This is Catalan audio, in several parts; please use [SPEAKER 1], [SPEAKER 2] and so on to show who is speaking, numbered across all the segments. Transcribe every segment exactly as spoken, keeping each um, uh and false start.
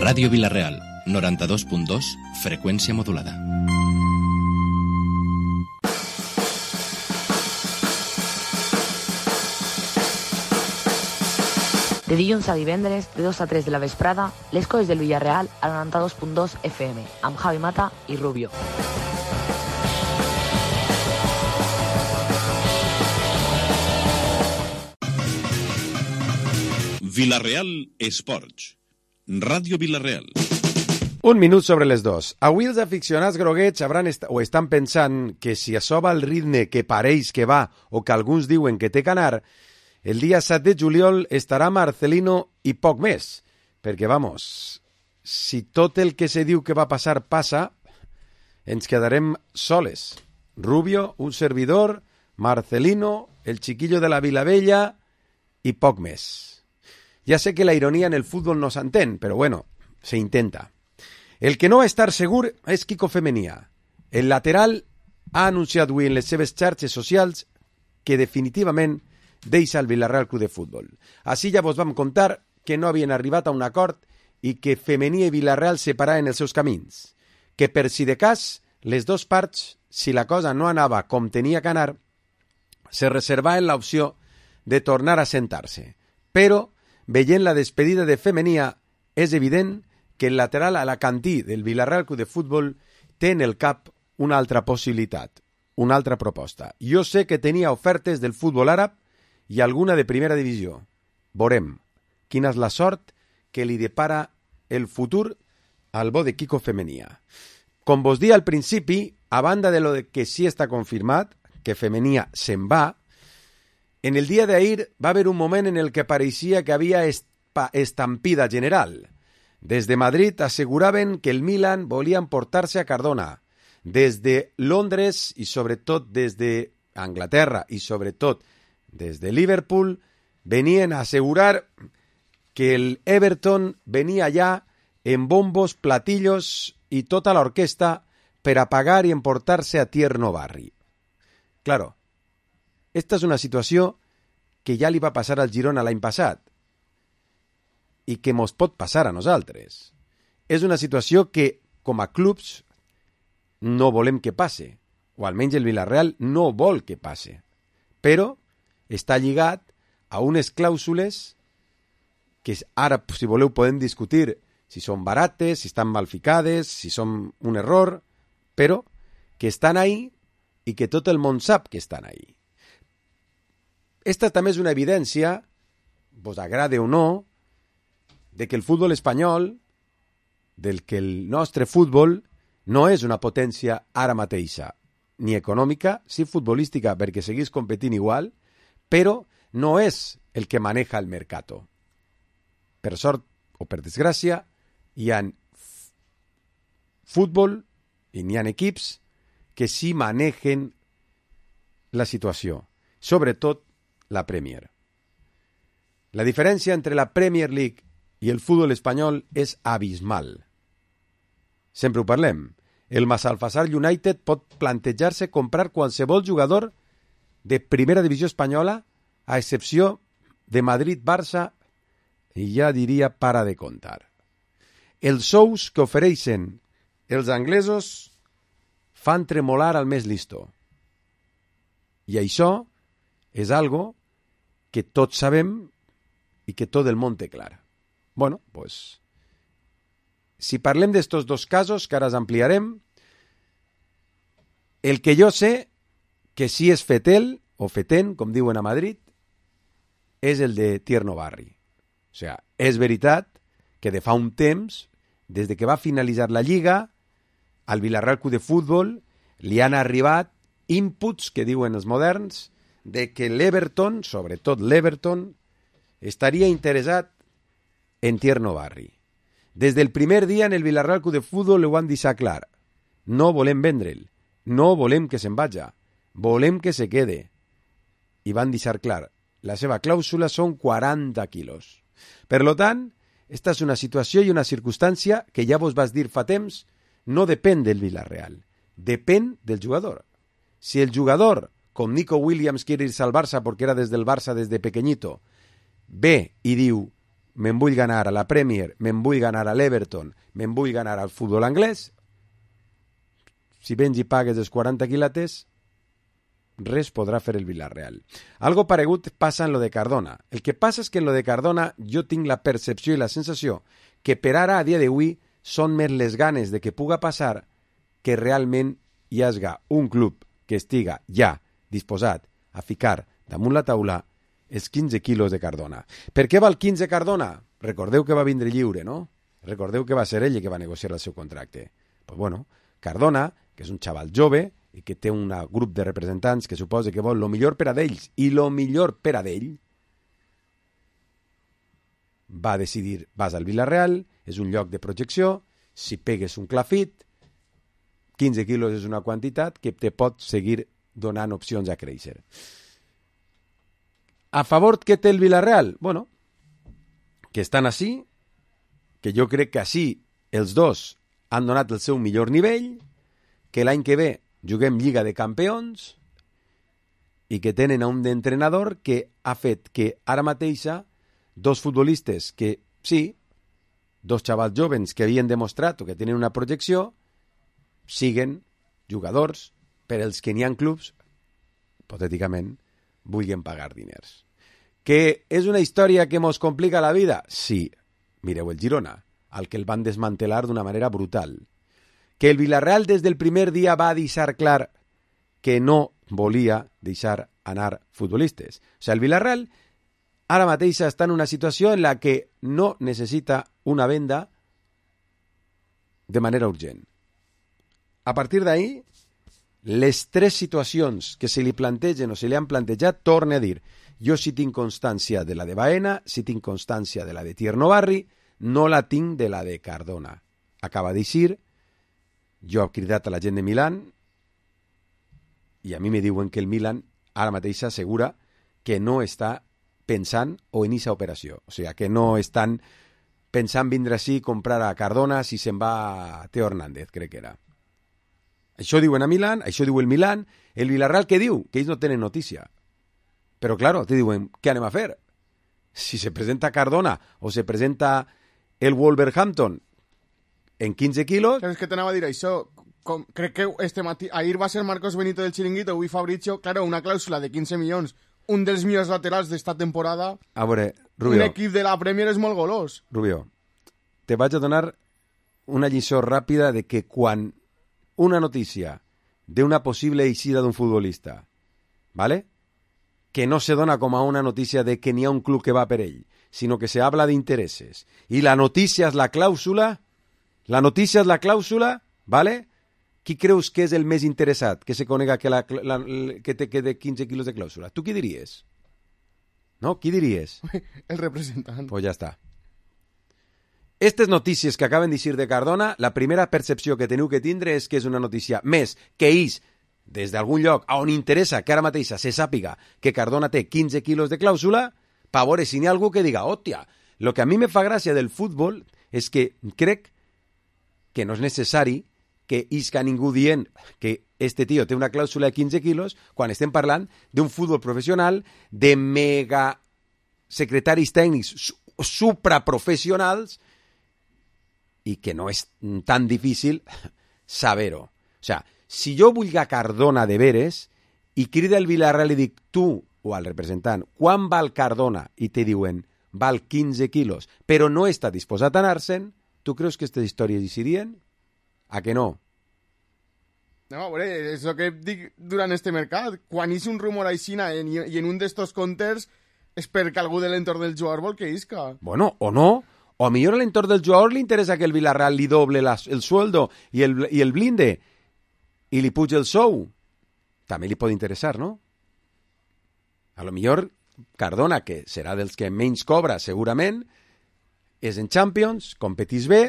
[SPEAKER 1] Ràdio Vila-real, noranta-dos punt dos, freqüència modulada.
[SPEAKER 2] De dilluns a divendres, de dos a tres de la vesprada, les coses del Villarreal al noranta-dos punt dos F M, amb Javi Mata i Rubio.
[SPEAKER 3] Vila-real Esports. Ràdio Vila-real.
[SPEAKER 4] Un minut sobre les dos. Avui els aficionats groguets hauran est o estan pensant que si això va al ritme que pareix que va o que alguns diuen que té que anar, el dia set de juliol estarà Marcelino i poc més. Perquè, vamos, si tot el que se diu que va passar passa, ens quedarem soles. Rubio, un servidor, Marcelino, el chiquillo de la Vilavella i poc més. Ya sé que la ironía en el fútbol no s'entén, però bueno, se intenta. El que no va estar segur és Quico Femenia. El lateral ha anunciat avui en les seves xarxes socials que definitivament deixa el Villarreal Club de Futbol. Així ja vos vam contar que no havien arribat a un acord i que Femenia i Villarreal separaven els seus camins. Que per si de cas, les dues parts, si la cosa no anava com tenia que anar, se reservaven l'opció de tornar a sentar-se. Però, veient la despedida de Femenia, és evident que el lateral alacantí del Villarreal Club de Futbol té en el cap una altra possibilitat, una altra proposta. Jo sé que tenia ofertes del futbol àrab i alguna de primera divisió. Veurem quina és la sort que li depara el futur al bo de Quico Femenia. Com vos dia al principi, a banda de lo de que sí està confirmat, que Femenia se'n va, en el dia d'ahir va haver un moment en el que pareixia que havia estampida general. Des de Madrid asseguraven que el Milan volia emportar-se a Cardona. Des de Londres i sobretot des de Anglaterra i sobretot des de Liverpool venien a assegurar que el Everton venia allà en bombos, platillos i tota l'orquestra per a pagar i emportar-se a Tierno Barri. Claro, esta és una situació que ja li va passar al Girona l'any passat i que mos pot passar a nosaltres. És una situació que, com a clubs, no volem que passe, o almenys el Villarreal no vol que passe, però està lligat a unes clàusules que ara, si voleu, podem discutir si són barates, si estan mal ficades, si són un error, però que estan ahí i que tot el món sap que estan ahí. Esta també és una evidència, vos agrade o no, de que el futbol espanyol, del que el nostre futbol no és una potència ara mateixa, ni econòmica, sí futbolística, perquè seguís competint igual, però no és el que maneja el mercat. Per sort o per desgràcia, hi ha futbol i n'hi ha equips que sí manegen la situació, sobretot la Premier. La diferència entre la Premier League i el futbol espanyol és abismal. Sempre ho parlem. El Massalfassar United pot plantejar-se comprar qualsevol jugador de primera divisió espanyola, a excepció de Madrid-Barça, i ja diria para de contar. Els sous que ofereixen els anglesos fan tremolar al més listo. I això és algo que tots sabem i que tot el món té clar. Bueno, pues, si parlem d'estos dos casos, que ara els ampliarem, el que jo sé que sí és fetel, o feten, com diuen a Madrid, és el de Tierno Barri. O sigui, és veritat que de fa un temps, des de que va finalitzar la Lliga, al Villarreal Club de Futbol li han arribat inputs, que diuen els moderns, de que l'Everton, sobretot l'Everton, estaria interessat en Tierno Barri. Des del primer dia en el Villarreal Club de Futbol ho han deixat clar. No volem vendre'l, no volem que se'n vaja, volem que se quede. I van deixar clar, la seva clàusula són quaranta quilos. Per lo tant, esta és una situació i una circumstància que ja vos vas dir fa temps, no depèn del Villarreal, depèn del jugador. Si el jugador, com Nico Williams quiere irse al Barça porque era desde el Barça desde pequeñito, ve y diu, me'n vull ganar a la Premier, me'n vull ganar a l'Everton, me'n vull ganar al futbol anglès, si vens i pagues els quaranta quilates, res podrà fer el Villarreal. Algo paregut passa en lo de Cardona. El que passa és que en lo de Cardona jo tinc la percepció i la sensació que per ara, a dia d'avui, són més les ganes de que puga passar que realment hi hagi un club que estiga ja disposat a ficar damunt la taula els quinze quilos de Cardona. Per què val quinze Cardona? Recordeu que va vindre lliure, no? Recordeu que va ser ell que va negociar el seu contracte. Pues bueno, Cardona, que és un xaval jove i que té un grup de representants que suposa que vol lo millor per a d'ells i lo millor per a d'ell, va decidir, vas al Villarreal, és un lloc de projecció, si pegues un clafit, quinze quilos és una quantitat que te pot seguir donant opcions a créixer. A favor que té el Villarreal? Bueno, que estan així, que jo crec que així els dos han donat el seu millor nivell, que l'any que ve juguem Lliga de Campions i que tenen a un entrenador que ha fet que ara mateixa dos futbolistes que, sí, dos xavals jovens que havien demostrat o que tenen una projecció, siguen jugadors per als que n'hi ha clubs, hipotèticament, vulguin pagar diners. Que és una història que mos complica la vida? Sí. Mireu el Girona, al que el van desmantelar d'una manera brutal. Que el Villarreal des del primer dia va deixar clar que no volia deixar anar futbolistes. O sigui, el Villarreal ara mateix està en una situació en la que no necessita una venda de manera urgent. A partir d'ahí, les tres situacions que se li plantegen o se li han plantejat, torne a dir, jo sí tinc constància de la de Baena, sí tinc constància de la de Tierno Barri, no la tinc de la de Cardona. Acaba de dir, jo he cridat a la gent de Milan i a mi me diuen que el Milan ara mateix assegura que no està pensant o en aquesta operació. O sigui, que no estan pensant vindre així i comprar a Cardona si se'n va a Teo Hernández, crec que era. Això diuen a Milan, això diu el Milan, el Villarreal què diu? Que ells no tenen notícia. Però, claro, te diuen, què anem a fer? Si se presenta Cardona o se presenta el Wolverhampton en quinze quilos...
[SPEAKER 5] Claro, és que t'anava a dir això. Com, crec que este matí... Ahir va ser Marcos Benito del Chiringuito, avui Fabricio. Claro, una clàusula de quinze milions. Un dels millors laterals d'esta temporada.
[SPEAKER 4] A veure, Rubio...
[SPEAKER 5] Un equip de la Premier és molt golós.
[SPEAKER 4] Rubio, te vaig a donar una lliçó ràpida de que quan una notícia d'una possible eixida d'un futbolista, ¿vale?, que no se dona com a una notícia de que n'hi ha un club que va per ell, sinó que se habla d'interessos. I la notícia és la clàusula, la notícia és la clàusula, ¿vale? Qui creus que és el més interessat que se conega que, la, la, que té que de quinze quilos de clàusula? Tu qui diries? No? Qui diries?
[SPEAKER 5] El representant.
[SPEAKER 4] Pues ja està. Estes notícies que acaben de dir de Cardona, la primera percepció que teniu que tindre és que és una notícia més que ells, des d'algun lloc on interessa que ara mateixa se sàpiga que Cardona té quinze quilos de clàusula, per veure si n'hi ha algú que diga, hòstia, el que a mi me fa gràcia del futbol és que crec que no és necessari que isca ningú dient que este tio té una clàusula de quinze quilos quan estem parlant d'un futbol professional de mega secretaris tècnics supraprofessionals i que no és tan difícil saber-ho. O sigui, si jo vull a Cardona de veres i crida el Villarreal i dic tu o al representant, quan val Cardona? I te diuen, val quinze quilos, però no està disposat a anar-se'n, tu creus que aquestes històries hi serien? A que no?
[SPEAKER 5] No, a veure, és el que dic durant este mercat. Quan és un rumor aixina i en un d'estos comptes és perquè algú de l'entorn del jugador vol que isca.
[SPEAKER 4] Bueno, o no. O a millor a l'entorn del jugador li interessa que el Villarreal li doble la, el sueldo i el, i el blinde i li puja el sou. També li pot interessar, no? A lo millor Cardona, que serà dels que menys cobra segurament, és en Champions, competís bé,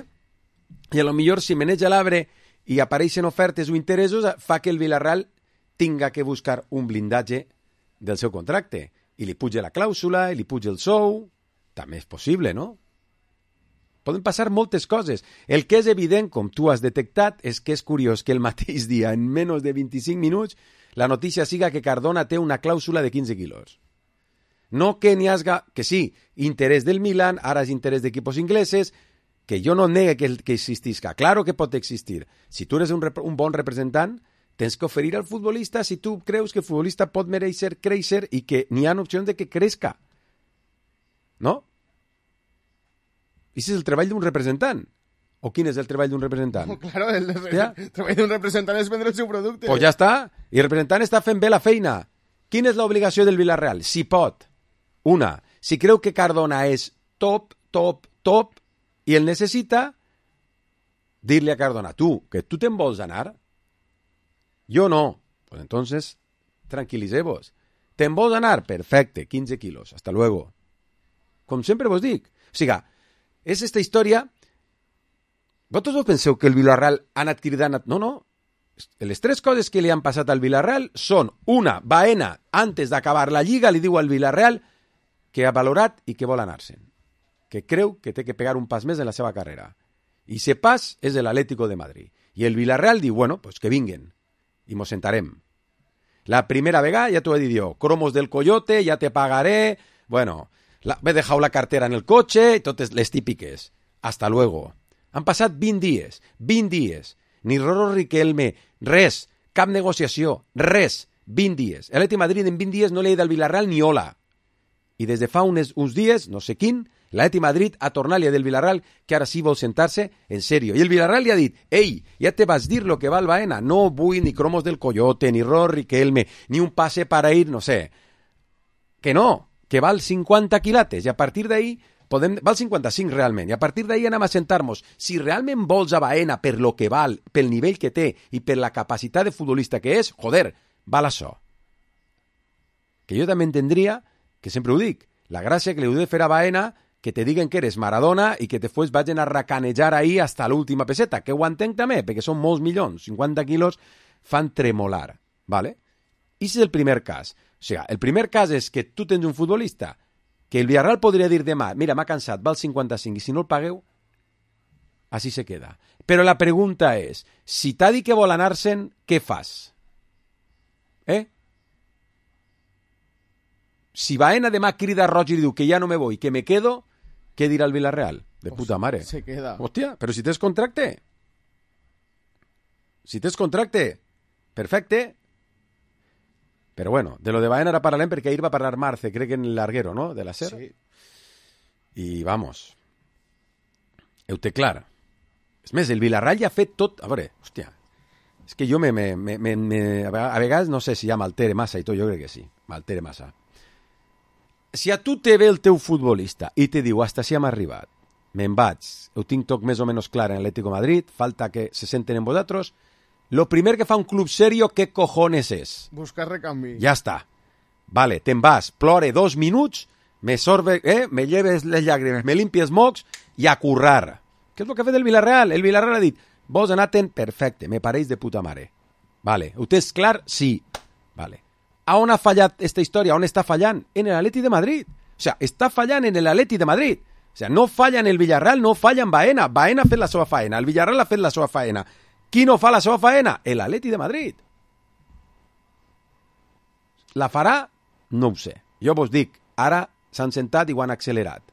[SPEAKER 4] i a lo millor si maneja l'arbre i apareixen ofertes o interessos, fa que el Villarreal tinga que buscar un blindatge del seu contracte. I li puja la clàusula, i li puja el sou. També és possible, no? Poden passar moltes coses. El que és evident, com tu has detectat, és que és curiós que el mateix dia, en menys de vint-i-cinc minuts, la notícia siga que Cardona té una clàusula de quinze quilos. No que n'hi hagi, que sí, interès del Milan, ara és interès d'equipos ingleses, que jo no negue que, que existisca. Claro que pot existir. Si tu eres un, un bon representant, tens que oferir al futbolista si tu creus que el futbolista pot mereixer créixer i que n'hi ha opcions de que crezca. No? I si és el treball d'un representant. O quin és el treball d'un representant?
[SPEAKER 5] No, claro, el, el, el treball d'un representant és vendre el seu producte.
[SPEAKER 4] Pues ja està. I el representant està fent bé la feina. Quina és l'obligació del Villarreal? Si pot. Una, si creu que Cardona és top, top, top, i el necessita, dir-li a Cardona, tu, que tu te'n vols anar? Jo no. Pues entonces, tranquil·liseu-vos. Te'n vols anar? Perfecte, quinze quilos. Hasta luego. Com sempre vos dic. O sigui, és esta història... Vosaltres vos penseu que el Villarreal han anat cridant... No, no. Les tres coses que li han passat al Villarreal són, una, Baena, antes d'acabar la Lliga, li diu al Villarreal que ha valorat i que vol anar-se'n. Que creu que té que pegar un pas més en la seva carrera. I ese pas és l'Atlético de Madrid. I el Villarreal diu, bueno, pues que vinguen. I mos sentarem. La primera vegada ja t'ho he dit jo. Cromos del Coyote, ja te pagaré... Bueno, la, m'he dejado la cartera en el cotxe, totes les típiques. Hasta luego. Han passat vint dies. vint dies. Ni Roro Riquelme, res. Cap negociació, res. vint dies. L'Atleti Madrid en vint dies no li ha dit al Villarreal ni hola. I des de fa uns, uns dies, no sé quin, l'Atleti Madrid ha tornat a dir del Villarreal que ara sí vol sentar-se en sèrio. I el Villarreal li ha dit, ei, ja te vas dir lo que val Baena, no vull ni cromos del Coyote, ni Roro Riquelme, ni un pase para ir, no sé. Que no, que val cinquanta quilates, i a partir d'ahí podem, val cinquanta-cinc realment, i a partir d'ahí anem a sentar-nos. Si realment vols a Baena per lo que val, pel nivell que té i per la capacitat de futbolista que és, joder, val això. Que jo també entendria, que sempre ho dic, la gràcia que li heu de fer a Baena, que te diguen que eres Maradona i que després vagin a racanejar ahí hasta l'última peseta, que ho entenc també, perquè són molts milions, cinquanta quilos fan tremolar, ¿vale? I és el primer cas. O sigui, el primer cas és que tu tens un futbolista que el Villarreal podria dir demà, mira, m'ha cansat, val cinquanta-cinc, i si no el pagueu, així se queda. Però la pregunta és, si t'ha dit que vol anar-se'n, què fas? Eh? Si Baena demà crida roig i diu que ja no me voy, que me quedo, què dirà el Villarreal? De puta mare.
[SPEAKER 5] Se queda.
[SPEAKER 4] Hòstia, però si tens contracte. Si tens contracte, perfecte. Però bueno, de lo de Baena ara parlarem perquè ahir va parlar Marce, crec que en el larguero, ¿no? De la SER.
[SPEAKER 5] Sí.
[SPEAKER 4] I vamos. Heu té clar. És més, el Villarreal ja ha fet tot... A veure, hòstia, és que jo me, me, me, me, me, a vegades no sé si ja m'altere massa i tot, jo crec que sí, m'altere massa. Si a tu te ve el teu futbolista i te diu, hasta si hem arribat, me'n vaig, ho tinc tot més o menys clar en l'Atlético de Madrid, falta que se senten en vosaltres, lo primer que fa un club serio, ¿qué cojones és?
[SPEAKER 5] Buscar recanvi.
[SPEAKER 4] Ja està. Vale, te'n vas, plore dos minuts, me sorbe, eh, me lleves les llàgrimes, me limpies mocs i a currar. Què és el que ha fet el Villarreal? El Villarreal ha dit, vos anar-te'n, perfecte, me pareix de puta mare. Vale, ho tens clar? Sí. Vale. A on ha fallat esta història? On està fallant? En l'Atleti de Madrid. O sea, està fallant en l'Atleti de Madrid. O sea, no falla en el Villarreal, no falla en Baena. Baena ha fet la seva faena, el Villarreal ha fet la seva faena. Qui no fa la seva faena? L'Atleti de Madrid. La farà? No ho sé. Jo vos dic, ara s'han sentat i ho han accelerat.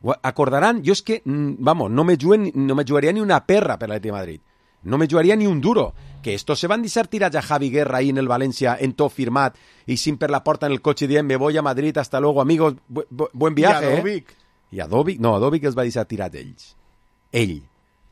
[SPEAKER 4] Ho acordaran? Jo és que, vamos, no me, juguen, no me jugaria ni una perra per l'Atleti de Madrid. No me jugaria ni un duro. Que estos se van deixar tirats a Javi Guerra ahí en el Valencia, en tot firmat, i sin per la porta en el cotxe dient, me voy a Madrid, hasta luego, amigos, bu bu buen viaje,
[SPEAKER 5] I a Dovic.
[SPEAKER 4] Eh? I a Dovic, no, a Dovic els va deixar tirats ells. Ell.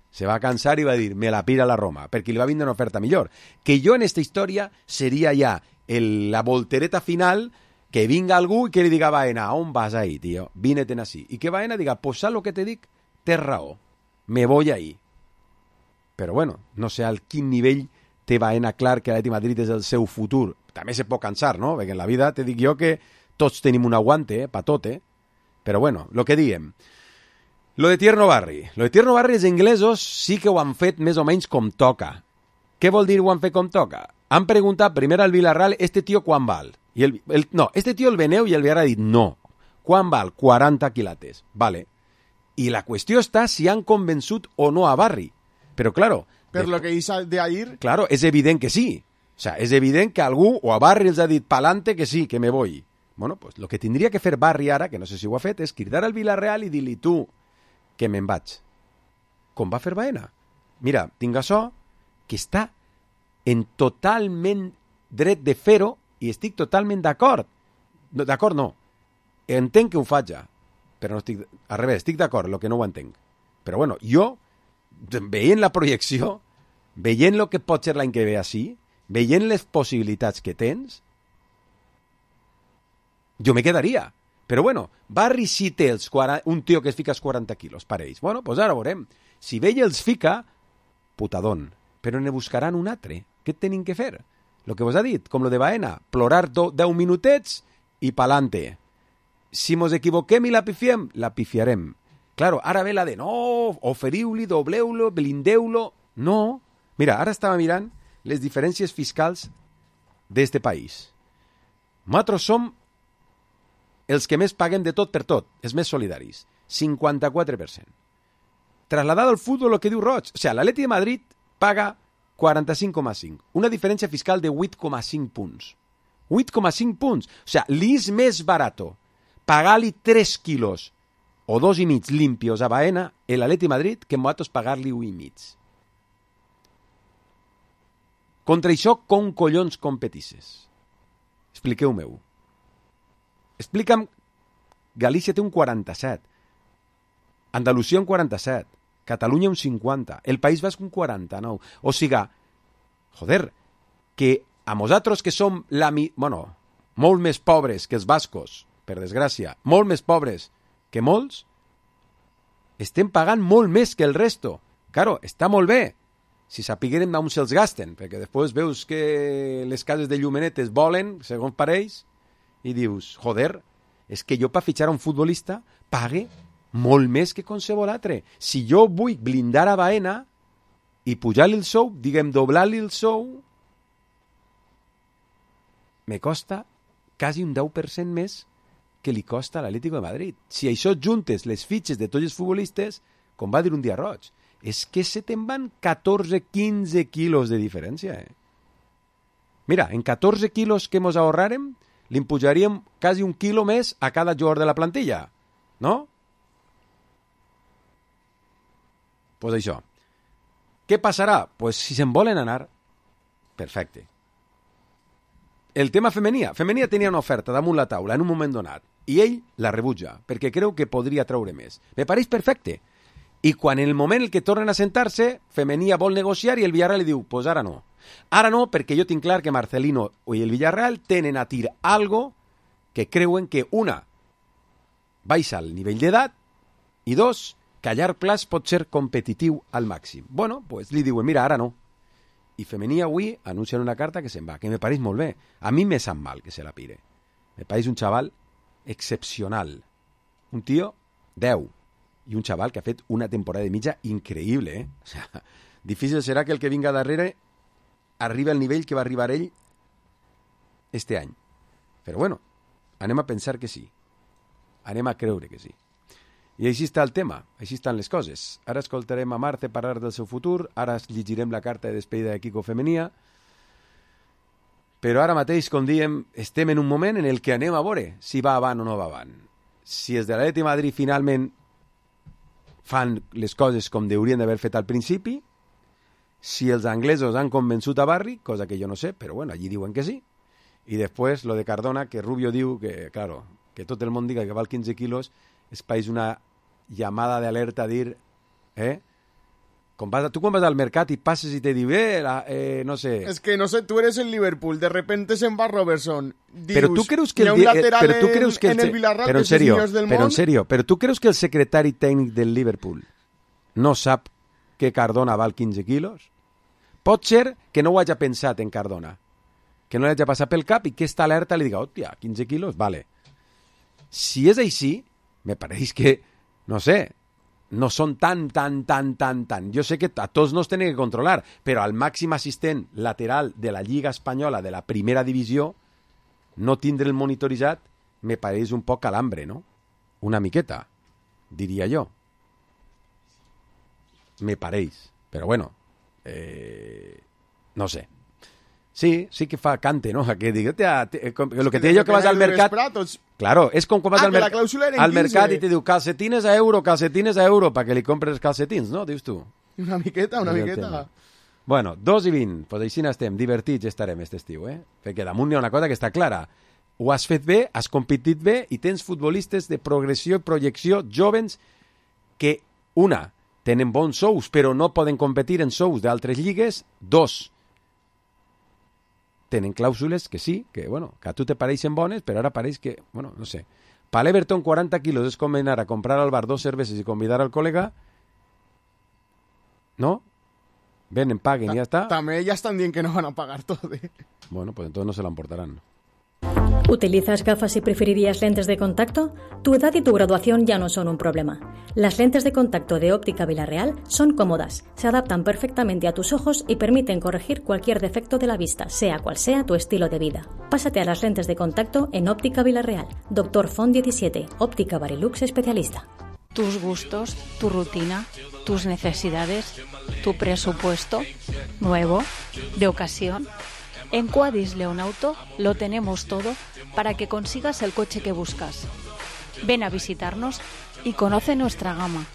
[SPEAKER 4] Se va cansar i va dir, me la pira la Roma, perquè li va vindre una oferta millor. Que jo en esta història seria ja el, la voltereta final, que vinga algú i que li diga a Baena, on vas ahí, tío? Vine-te'n així. I que Baena diga, pues saps lo que te dic? Tens raó. Me voy ahí. Però bueno, no sé al quin nivell té Baena clar que l'Atleti Madrid és el seu futur. També se pot cansar, no? Perquè en la vida te dic jo que tots tenim un aguante, eh? Pa tot, eh? Però bueno, lo que diem. Lo de Tierno Barri. Lo de Tierno Barri, els inglesos sí que ho han fet més o menys com toca. Què vol dir ho han fet com toca? Han preguntat primer al Villarreal, este tío quan val? I el, el, no, este tío el veneu i el Villarreal ha dit no. Quan val? quaranta quilates. Vale. I la qüestió està si han convençut o no a Barri. Però, claro...
[SPEAKER 5] Per lo que hizo de ahir...
[SPEAKER 4] Claro, és evident que sí. O sea, és evident que algú o a Barri els ha dit pa'lante que sí, que me voy. Bueno, pues el que tindria que fer Barri ara, que no sé si ho ha fet, és cridar al Villarreal i dir-li tu que me'n vaig. Com va fer Baena? Mira, tinc açò que està en totalment dret de fer-ho i estic totalment d'acord. No, d'acord no. Entenc que ho faig, però no estic... Al revés, estic d'acord, el que no ho entenc. Però bueno, jo, veient la projecció, veient el que pot ser l'any que ve així, veient les possibilitats que tens, jo me quedaria. Però bueno, Barri sí té els quaranta, un tio que es fica els quaranta quilos per ells. Bueno, doncs ara veurem. Si Vella els fica, putadón. Però ne buscaran un altre. Què tenim que fer? Lo que vos ha dit, com lo de Baena, plorar do, deu minutets i pa'lante. Si mos equivoquem i la pifiem, la pifiarem. Claro, ara ve la de no, oferiu-li, dobleu-lo, blindeu-lo. No. Mira, ara estava mirant les diferències fiscals d'este país. Nosaltres som els que més paguem de tot per tot, els més solidaris. cinquanta-quatre per cent. Trasladado al futbol, el que diu Roig. O sigui, l'Atleti de Madrid paga quaranta-cinc coma cinc. Una diferència fiscal de vuit coma cinc punts. vuit coma cinc punts. O sigui, li és més barato pagar-li tres quilos o dos i mig limpios a Baena el Atleti de Madrid que nosaltres pagar-li un i mig. Contra això, com collons competisses? Expliqueu-me-ho. Explica'm, Galícia té un quaranta-set, Andalusia un quaranta-set, Catalunya un cinquanta, el País Basc un quaranta-nou. O siga, joder, que a nosaltres que som la mi... bueno, molt més pobres que els bascos, per desgràcia, molt més pobres que molts, estem pagant molt més que el resto. Claro, està molt bé, si sapigueren on se'ls gasten, perquè després veus que les cases de llumenetes volen, segons pareix, i dius, joder, és que jo per fitxar un futbolista pague molt més que qualsevol altre. Si jo vull blindar a Baena i pujar-li el sou, diguem, doblar-li el sou, me costa quasi un deu per cent més que li costa a l'Atlético de Madrid. Si això juntes les fitxes de tots els futbolistes, com va dir un dia Roig, és que se te'n van catorze quinze quilos de diferència. Eh? Mira, en catorze quilos que mos ahorrarem, li impujaríem quasi un quilo més a cada jugador de la plantilla, no? Pues això. Què passarà? Pues si se'n volen anar, perfecte. El tema femenia. Femenia tenia una oferta damunt la taula en un moment donat i ell la rebutja perquè creu que podria treure més. Me pareix perfecte. I quan en el moment en què tornen a sentar-se, Femenia vol negociar i el Villarreal li diu, pues ara no. Ara no, perquè jo tinc clar que Marcelino i el Villarreal tenen a tir algo que creuen que, una, baixa el nivell d'edat i dos, que a llarg plaç pot ser competitiu al màxim. Bueno, pues li diuen, mira, ara no. I Femenia avui anuncien una carta que se'n va, que me pareix molt bé. A mi me sap mal que se la pire. Me pareix un xaval excepcional. Un tio deu. I un xaval que ha fet una temporada de mitja increïble, eh? O sea, difícil serà que el que vinga darrere arribi al nivell que va arribar ell este any. Però bueno, anem a pensar que sí. Anem a creure que sí. I així està el tema, així estan les coses. Ara escoltarem a Marte parlar del seu futur, ara llegirem la carta de despedida de Quico Femenia, però ara mateix, com diem, estem en un moment en el que anem a veure si va avant o no va avant. Si els de l'Atleti de Madrid finalment fan les coses com haurien d'haver fet al principi, si els anglesos han convençut a Barri, cosa que jo no sé, però bueno, allí diuen que sí, i després lo de Cardona, que Rubio diu que, claro, que tot el món diga que val quinze quilos, és país una llamada de alerta a dir, eh? Com vas, tu quan vas al mercat i passes i te diu, eh, la, eh, no sé...
[SPEAKER 5] Es que no sé, tú eres el Liverpool, de repente se'n va Robertson. Dius,
[SPEAKER 4] pero tú crees que el,
[SPEAKER 5] un lateral
[SPEAKER 4] pero tú crees que
[SPEAKER 5] en,
[SPEAKER 4] el,
[SPEAKER 5] en el Villarreal,
[SPEAKER 4] pero en
[SPEAKER 5] que
[SPEAKER 4] serio,
[SPEAKER 5] és del
[SPEAKER 4] pero
[SPEAKER 5] món.
[SPEAKER 4] en serio, pero tú crees que el secretari tècnic del Liverpool no sap que Cardona val quinze quilos? Pot ser que no ho hagi pensat en Cardona, que no li hagi passat pel cap i que esta alerta li diga, hòstia, quinze quilos, vale. Si és així, me pareix que, no sé, no són tan, tan, tan, tan, tan. Jo sé que a tots no es tenen que controlar, però al màxim assistent lateral de la Lliga Espanyola de la primera divisió, no tindre el monitoritzat me pareix un poc calambre, no? Una miqueta, diria jo. Me pareix. Però bueno, eh, no sé. Sí, sí que fa cante, ¿no? Que digo, te, te, lo que te digo que vas al mercat... Claro, és com quan vas
[SPEAKER 5] ah,
[SPEAKER 4] al, mer al mercat i te diu calcetines a euro, calcetines a euro, perquè li compres calcetins, no? Dius tu.
[SPEAKER 5] Una miqueta, una miqueta.
[SPEAKER 4] Bueno, dos i vint, pues així n'estem, divertits estarem aquest estiu, eh? Perquè damunt hi ha una cosa que està clara. Ho has fet bé, has competit bé i tens futbolistes de progressió i projecció jovens que, una, tenen bons sous, però no poden competir en sous d'altres lligues. Dos, tenen clàusules que sí, que, bueno, que a tu te pareixen bones, però ara pareix que, bueno, no sé. Per l'Everton, quaranta quilos és com anar a comprar al bar dos cerveses i convidar al col·lega, no? Venen, paguen i ja està.
[SPEAKER 5] També ja estan dient que no van a pagar tot, eh?
[SPEAKER 4] Bueno, pues entonces no se la emportarán.
[SPEAKER 6] ¿Utilizas gafas y preferirías lentes de contacto? Tu edad y tu graduación ya no son un problema. Las lentes de contacto de Óptica Villarreal son cómodas, se adaptan perfectamente a tus ojos y permiten corregir cualquier defecto de la vista, sea cual sea tu estilo de vida. Pásate a las lentes de contacto en Óptica Villarreal. Doctor Font diecisiete, Óptica Barilux especialista.
[SPEAKER 7] Tus gustos, tu rutina, tus necesidades, tu presupuesto, nuevo, de ocasión. En Quadis Leonauto lo tenemos todo para que consigas el coche que buscas. Ven a visitarnos y conoce nuestra gama.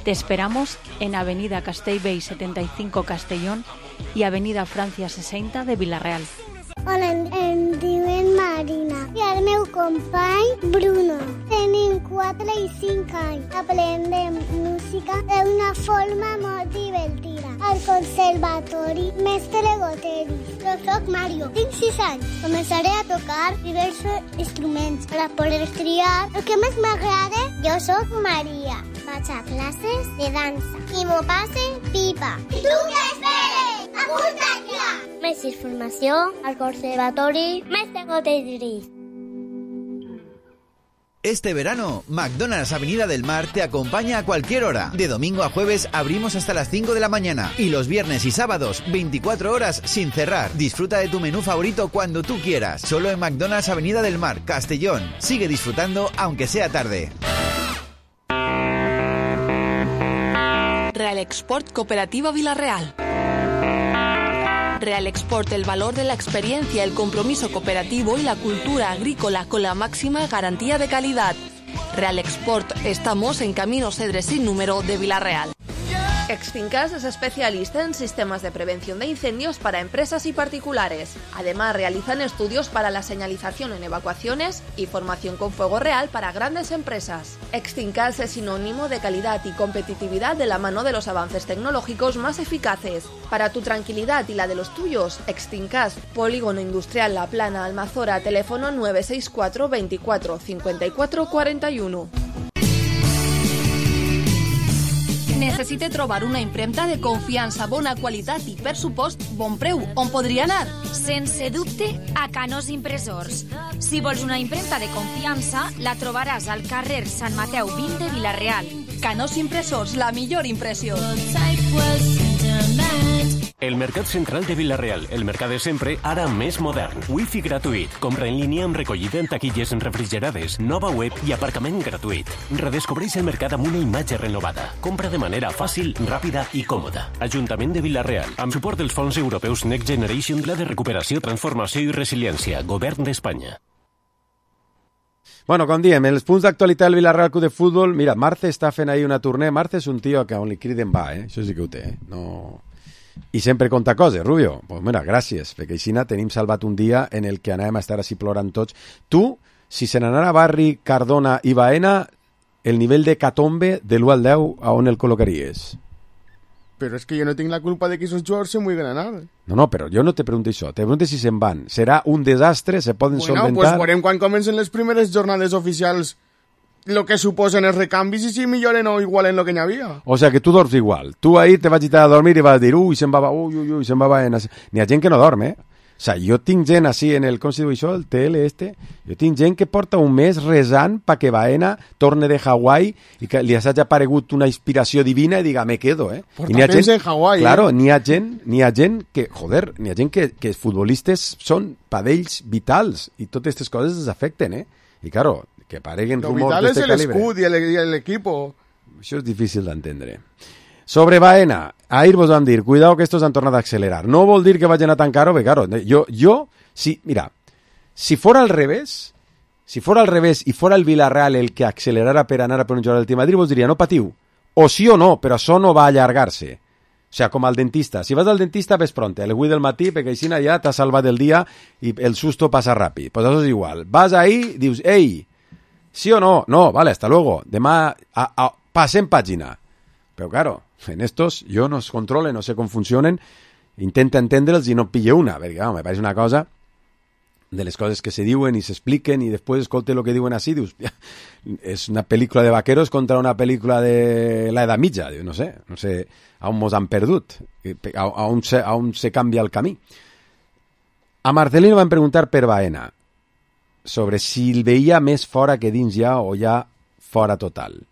[SPEAKER 7] Te esperamos en Avenida Castellbell setenta y cinco Castellón y Avenida Francia sesenta de Villarreal.
[SPEAKER 8] Hola, em diuen Marina i el meu company Bruno. Tenim quatre i cinc anys. Aprendem música d'una forma molt divertida. Al conservatori Mestre Goteris. Jo soc Mario, tinc sis anys. Començaré a tocar diversos instruments per a poder triar el que més m'agrada. Jo soc Maria. Vaig a classes de dansa i m'ho passe pipa. I tu què esperes? Apunta't ja! Més informació al Conservatori Mestre Goteris.
[SPEAKER 9] Este verano, McDonald's Avenida del Mar te acompaña a cualquier hora. De domingo a jueves abrimos hasta las cinco de la mañana y los viernes y sábados veinticuatro horas sin cerrar. Disfruta de tu menú favorito cuando tú quieras. Solo en McDonald's Avenida del Mar, Castellón. Sigue disfrutando aunque sea tarde.
[SPEAKER 10] Real Export Cooperativa Villarreal. Real Export, el valor de la experiencia, el compromiso cooperativo y la cultura agrícola con la máxima garantía de calidad. Real Export, estamos en Camino Cedres sin número de Villarreal. Exfincas es especialista en sistemas de prevención de incendios para empresas y particulares. Además, realizan estudios para la señalización en evacuaciones y formación con fuego real para grandes empresas. Exfincas es sinónimo de calidad y competitividad de la mano de los avances tecnológicos más eficaces. Para tu tranquilidad y la de los tuyos, Exfincas, Polígono Industrial La Plana, Almazora, teléfono nueve seis cuatro veinticuatro cincuenta y cuatro cuarenta y uno. Necessite trobar una impremta de confiança, bona qualitat i, per supost, bon preu. On podria anar?
[SPEAKER 11] Sense dubte, a Canós Impressors. Si vols una impremta de confiança, la trobaràs al carrer Sant Mateu vint de Villarreal.
[SPEAKER 10] Canós Impressors, la millor impressió.
[SPEAKER 12] El Mercat Central de Villarreal, el mercat de sempre, ara més modern. Wi-Fi gratuït, compra en línia amb recollida en taquilles refrigerades, nova web i aparcament gratuït. Redescobreix el mercat amb una imatge renovada. Compra de manera fàcil, ràpida i còmoda. Ajuntament de Villarreal, amb suport dels fons europeus Next Generation, Pla de Recuperació, Transformació i Resiliència, Govern d'Espanya.
[SPEAKER 4] Bueno, com diem, els punts d'actualitat del Villarreal Club de Futbol, mira, Marce està fent ahir una tornea. Marce és un tio que on li criden va, eh? Això sí que ho té, eh? No... I sempre conta coses, Rubio. Pues mira, gràcies, perquè així tenim salvat un dia en el que anàvem a estar així plorant tots. Tu, si se n'anara Barri, Cardona i Baena, el nivell de catombe de l'u al deu, a on el col·locaries?
[SPEAKER 5] Però és que jo no tinc la culpa de que esos jugadors se mueven anar.
[SPEAKER 4] No, no, però jo no te pregunto això. Te pregunto si se'n van. Serà un desastre? Se poden
[SPEAKER 5] bueno,
[SPEAKER 4] solventar?
[SPEAKER 5] Bueno, pues veurem quan comencen les primeres jornades oficials lo que suposen els recanvis i si milloren o igualen lo que n'hi havia.
[SPEAKER 4] O sea, que tu dorms igual. Tu ahir te vas a dormir i vas dir, ui, se'n va, ui, ui, ui, se'n va, va. N'hi ha gent que no dorm, eh? O sea, jo tinc gent així en el, com se diu això, el T L este, jo tinc gent que porta un mes resant pa que Baena torne de Hawaii i que li hagi aparegut una inspiració divina i diga, me quedo, eh?
[SPEAKER 5] Porta I temps gent, en Hawaii,
[SPEAKER 4] claro,
[SPEAKER 5] eh?
[SPEAKER 4] n'hi ha gent, n'hi ha gent que, joder, n'hi ha gent que, que els futbolistes són padells vitals i totes aquestes coses els afecten, eh? I claro, que apareguen rumors d'este calibre.
[SPEAKER 5] Lo vital és l'escut i l'equip.
[SPEAKER 4] Això és difícil d'entendre. Sobre Baena, ahir vos vam dir, cuidado que estos han tornat a accelerar. No vol dir que vagin a tan caro, perquè, claro, jo, jo si, mira, si fora al revés, si fora al revés i fora el Villarreal el que accelerara per anar a per un jugador del Team Madrid, vos diria, no patiu, o sí o no, però això no va a allargar-se. O sea, com al dentista. Si vas al dentista, ves pronte, el avui del matí, perquè així ja t'ha salvat el dia i el susto passa ràpid. Pues això és igual. Vas ahí, dius, ei, sí o no? No, vale, hasta luego. Demà a, a, passem pàgina. Però, claro, en estos jo no es controle, no sé com funcionen, intenta entendre'ls i no pille una, perquè, claro, me pareix una cosa de les coses que se diuen i s'expliquen i després escolte el que diuen així, dius, és una pel·lícula de vaqueros contra una pel·lícula de l'edat mitja, no sé, no sé a on mos han perdut, a, a, on se, a on se canvia el camí. A Marcelino van preguntar per Baena sobre si el veia més fora que dins ja o ja fora total.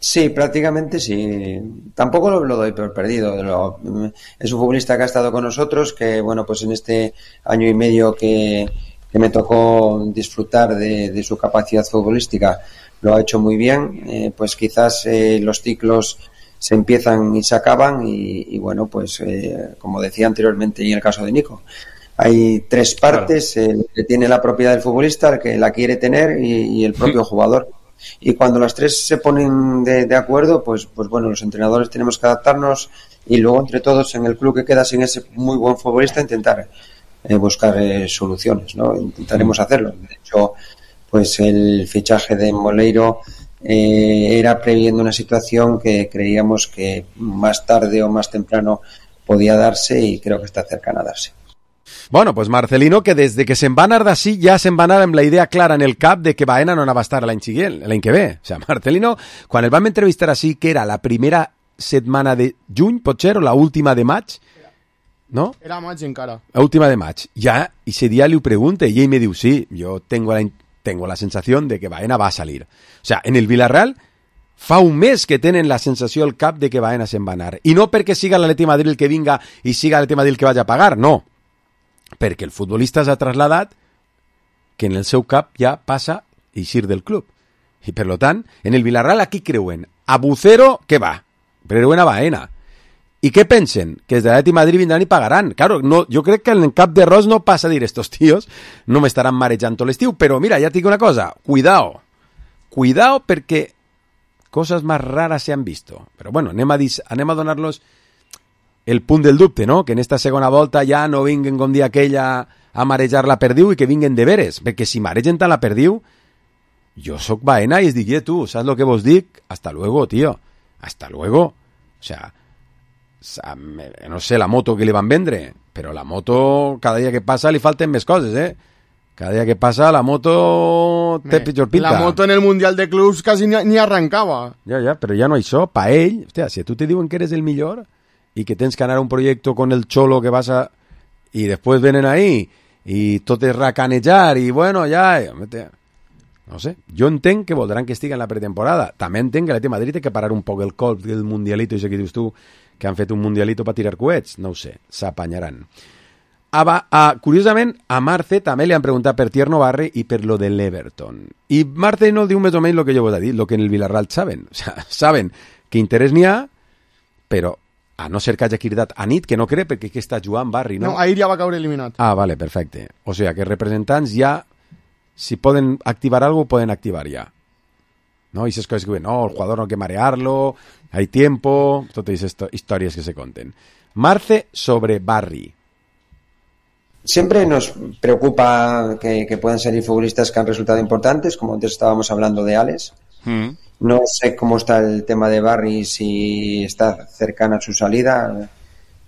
[SPEAKER 13] Sí, prácticamente sí. Tampoco lo, lo doy por perdido. Lo, es un futbolista que ha estado con nosotros, que bueno, pues en este año y medio que, que me tocó disfrutar de, de su capacidad futbolística, lo ha hecho muy bien. Eh, pues quizás eh, los ciclos se empiezan y se acaban y, y bueno, pues eh, como decía anteriormente y en el caso de Nico, hay tres partes, claro. El que tiene la propiedad del futbolista, el que la quiere tener y, y el propio jugador. Y cuando las tres se ponen de, de acuerdo, pues, pues bueno, los entrenadores tenemos que adaptarnos y luego entre todos en el club que queda sin ese muy buen futbolista intentar eh, buscar eh, soluciones, ¿no? Intentaremos hacerlo. De hecho, pues el fichaje de Moleiro eh, era previendo una situación que creíamos que más tarde o más temprano podía darse y creo que está cercana a darse.
[SPEAKER 4] Bueno, pues Marcelino, que desde que se'n va anar d'ací ja se'n va anar amb la idea clara en el cap de que Baena no anava a estar l'any següent, l'any que ve. O sea, Marcelino, quan el vam entrevistar així, que era la primera setmana de juny, pot ser, o la última de maig, ¿no?
[SPEAKER 5] Era maig encara.
[SPEAKER 4] La última de maig. Ya, ese día le pregunté y ell me diu, sí, yo tengo la, tengo la sensación de que Baena va a salir. O sea, en el Villarreal fa un mes que tenen la sensació al cap de que Baena se'n va anar. I no perquè siga l'Atleti Madrid el que vinga i siga l'Atleti Madrid el que vaya a pagar, no. Perquè el futbolista s'ha trasladat que en el seu cap ja passa a eixir del club. I per lo tant, en el Villarreal aquí creuen a Bucero, que va, creuen a Baena. I què pensen? Que els de l'Atleti Madrid vindran i pagaran. Claro, no, jo crec que en el cap de Ros no passa a dir estos tíos no m'estaran marejant tot l'estiu, però mira, ja et dic una cosa, cuidao, cuidao perquè coses més rares se han visto. Però bueno, anem a, dis, anem a donar-los el punt del dubte, no? Que en esta segona volta ja no vinguen com dia aquella a marejar la perdiu i que vinguen de veres, perquè si maregen tant la perdiu, jo sóc Baena i es dic, tu, saps lo que vos dic? Hasta luego, tío, hasta luego. O sea, no sé la moto que li van vendre, però la moto cada dia que passa li falten més coses, eh? Cada dia que passa la moto té pitjor pinta.
[SPEAKER 5] La moto en el Mundial de Clubs quasi ni, ni arrancava.
[SPEAKER 4] Ja, ja, però ja no això, pa ell, hòstia, si a tu te diuen que eres el millor y que tens que anar a un proyecto con el cholo que vas a... y después vienen ahí y tot es racanejar y bueno, ya... No sé, jo entenc que voldran que estigui en la pretemporada. També entenc que l'Atleti Madrid té que parar un poc el colp del mundialito, i això que dius tu, que han fet un mundialito per tirar coets. No ho sé, s'apanyaran. A, a, curiosament, a Marce també li han preguntat per Tierno Barri i per lo de l'Everton. I Marce no diu més o menys lo que jo vos he dit, lo que en el Villarreal saben. O sea, saben que interès n'hi ha, però a no ser que hagi cridat a nit, que no crec, perquè que està jugant Barri, no?
[SPEAKER 5] No, ahir ja va caure eliminat.
[SPEAKER 4] Ah, vale, perfecte. O sea, que representants ja, si poden activar algo, poden activar ja. ¿No? Y esas cosas que, no, el jugador no hay que marearlo, hay tiempo, todas estas historias que se conten. Marce sobre Barri.
[SPEAKER 13] Siempre nos preocupa que, que puedan salir futbolistas que han resultado importantes, como antes estábamos hablando de Alex. Mm. No sé cómo está el tema de Barri, si está cercana a su salida.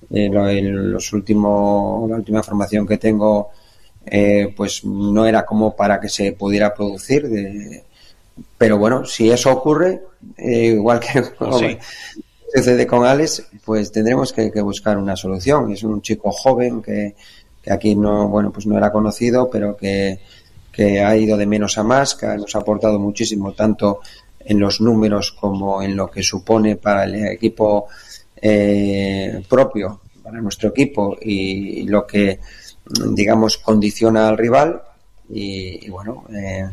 [SPEAKER 13] Eh, lo, el, los último, la última información que tengo, eh, pues no era como para que se pudiera producir. De, pero bueno, si eso ocurre, eh, igual que oh, sí. sucede con Alex, pues tendremos que, que buscar una solución. Es un chico joven que, que aquí no, bueno, pues no era conocido, pero que, que ha ido de menos a más, que nos ha aportado muchísimo, tanto en los números como en lo que supone para el equipo eh, propio, para nuestro equipo, y, y lo que, digamos, condiciona al rival. Y, y bueno, eh,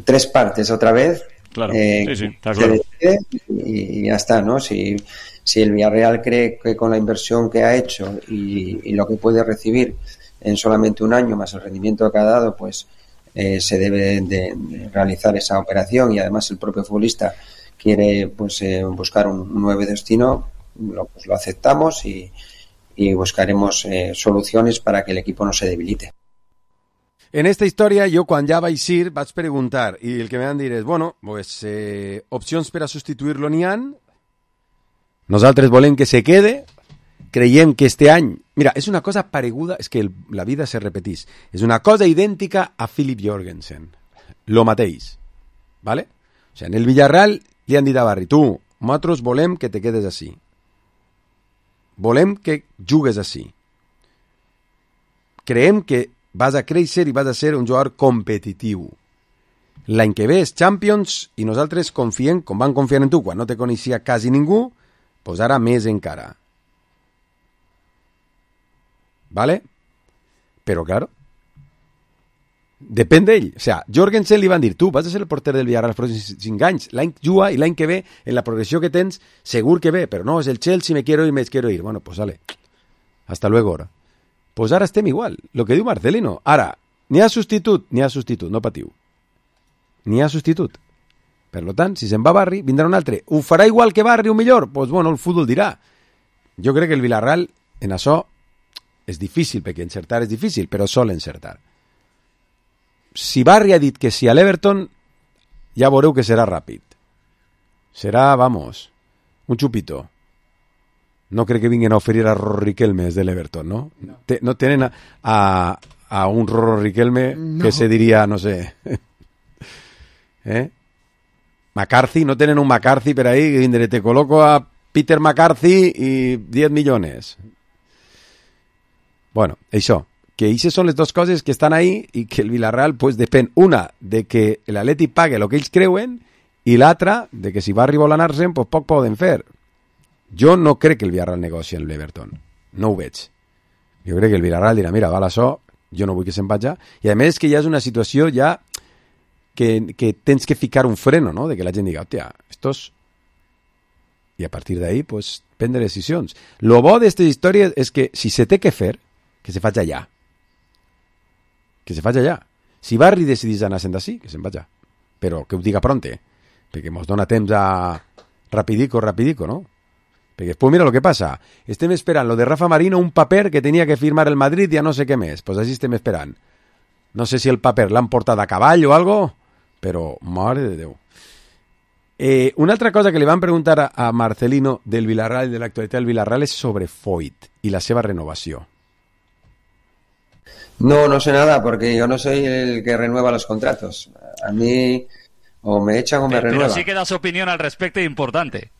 [SPEAKER 13] tres partes otra vez,
[SPEAKER 14] Claro,
[SPEAKER 13] eh,
[SPEAKER 14] sí, sí, está
[SPEAKER 13] se
[SPEAKER 14] claro.
[SPEAKER 13] decide y, y ya está, ¿no? Si, si el Villarreal cree que con la inversión que ha hecho y, y lo que puede recibir en solamente un año más el rendimiento que ha dado, pues eh, se debe de, de realizar esa operación, y además el propio futbolista quiere pues eh, buscar un, un nuevo destino, lo, pues lo aceptamos y, y buscaremos eh, soluciones para que el equipo no se debilite.
[SPEAKER 4] En esta història, jo quan ja vaig ir vaig preguntar, i el que me van dir és, bueno, pues, eh, opcions per a substituir-lo n'hi han, nosaltres volem que se quede, creiem que este any... Mira, és una cosa pareguda, és que el, la vida se repetís, és una cosa idèntica a Philip Jorgensen, lo mateix, ¿vale? O sea, en el Villarreal li han dit a Barry, tu, nosaltres volem que te quedes així, volem que jugues així, creiem que vas a créixer i vas a ser un jugador competitiu. L'any que ve és Champions i nosaltres confiem, com van confiar en tu quan no te coneixia quasi ningú, pues ara més encara. ¿Vale? Però, claro, depèn d'ell. O sea, Jorgensen li van dir, tu vas a ser el porter del Villarreal els pròxims cinc anys, l'any juga i l'any que ve, en la progressió que tens, segur que ve, però no, és el Chelsea, me quiero ir, me quiero ir. Bueno, pues vale, hasta luego ahora. Pues ara estem igual, el que diu Marcelino. Ara, n'hi ha substitut? N'hi ha substitut, no patiu. N'hi ha substitut. Per tant, si se'n va Barry, vindrà un altre. Ho farà igual que Barry o millor? Doncs, pues, bueno, el futbol dirà. Jo crec que el Villarreal, en això, és difícil, perquè encertar és difícil, però sol encertar. Si Barry ha dit que sí a l'Everton, ja veureu que serà ràpid. Serà, vamos, un xupito. No crec que vinguin a oferir a Rorro Riquelme des de l'Everton, no? No, Te, no tenen a, a, a un Rorro Riquelme no. Que se diria, no sé... eh? McCarthy, no tenen un McCarthy per ahí, que te coloco a Peter McCarthy i diez milions. Bueno, això, que aquestes són les dues coses que estan ahí i que el Villarreal, pues, depèn, una, de que l'Atleti pague el que ells creuen, i l'altra, de que si Barry vol anar-se'n, pues poc poden fer. Jo no crec que el Villarreal negoci amb l'Everton. No ho veig. Jo crec que el Villarreal dirà, mira, val això, jo no vull que se'n vagi. I a més que ja és una situació ja que, que tens que ficar un freno, no? De que la gent diga, hòstia, estos... I a partir d'ahí, pues, prendre decisions. Lo bo d'aquestes històries és que si se té que fer, que se faci allà. Que se faci allà. Si Barry decidís anar-se'n d'ací, que se'n vagi. Però que ho diga pronte, perquè mos dona temps a rapidico, rapidico, no? Perquè després mira el que passa, estem esperant lo de Rafa Marino, un paper que tenia que firmar el Madrid i ja no sé què més, pues així estem esperant. No sé si el paper l'han portat a cavall o algo, però mare de Déu. Eh, una altra cosa que li van preguntar a, a Marcelino del Villarreal i de l'actualitat del Villarreal és sobre Foyt i la seva renovació.
[SPEAKER 13] No, no sé nada, porque yo no soy el que renueva los contratos. A mí o me echan o me
[SPEAKER 15] pero,
[SPEAKER 13] renuevan.
[SPEAKER 15] Pero sí que da su opinión al respecto importante.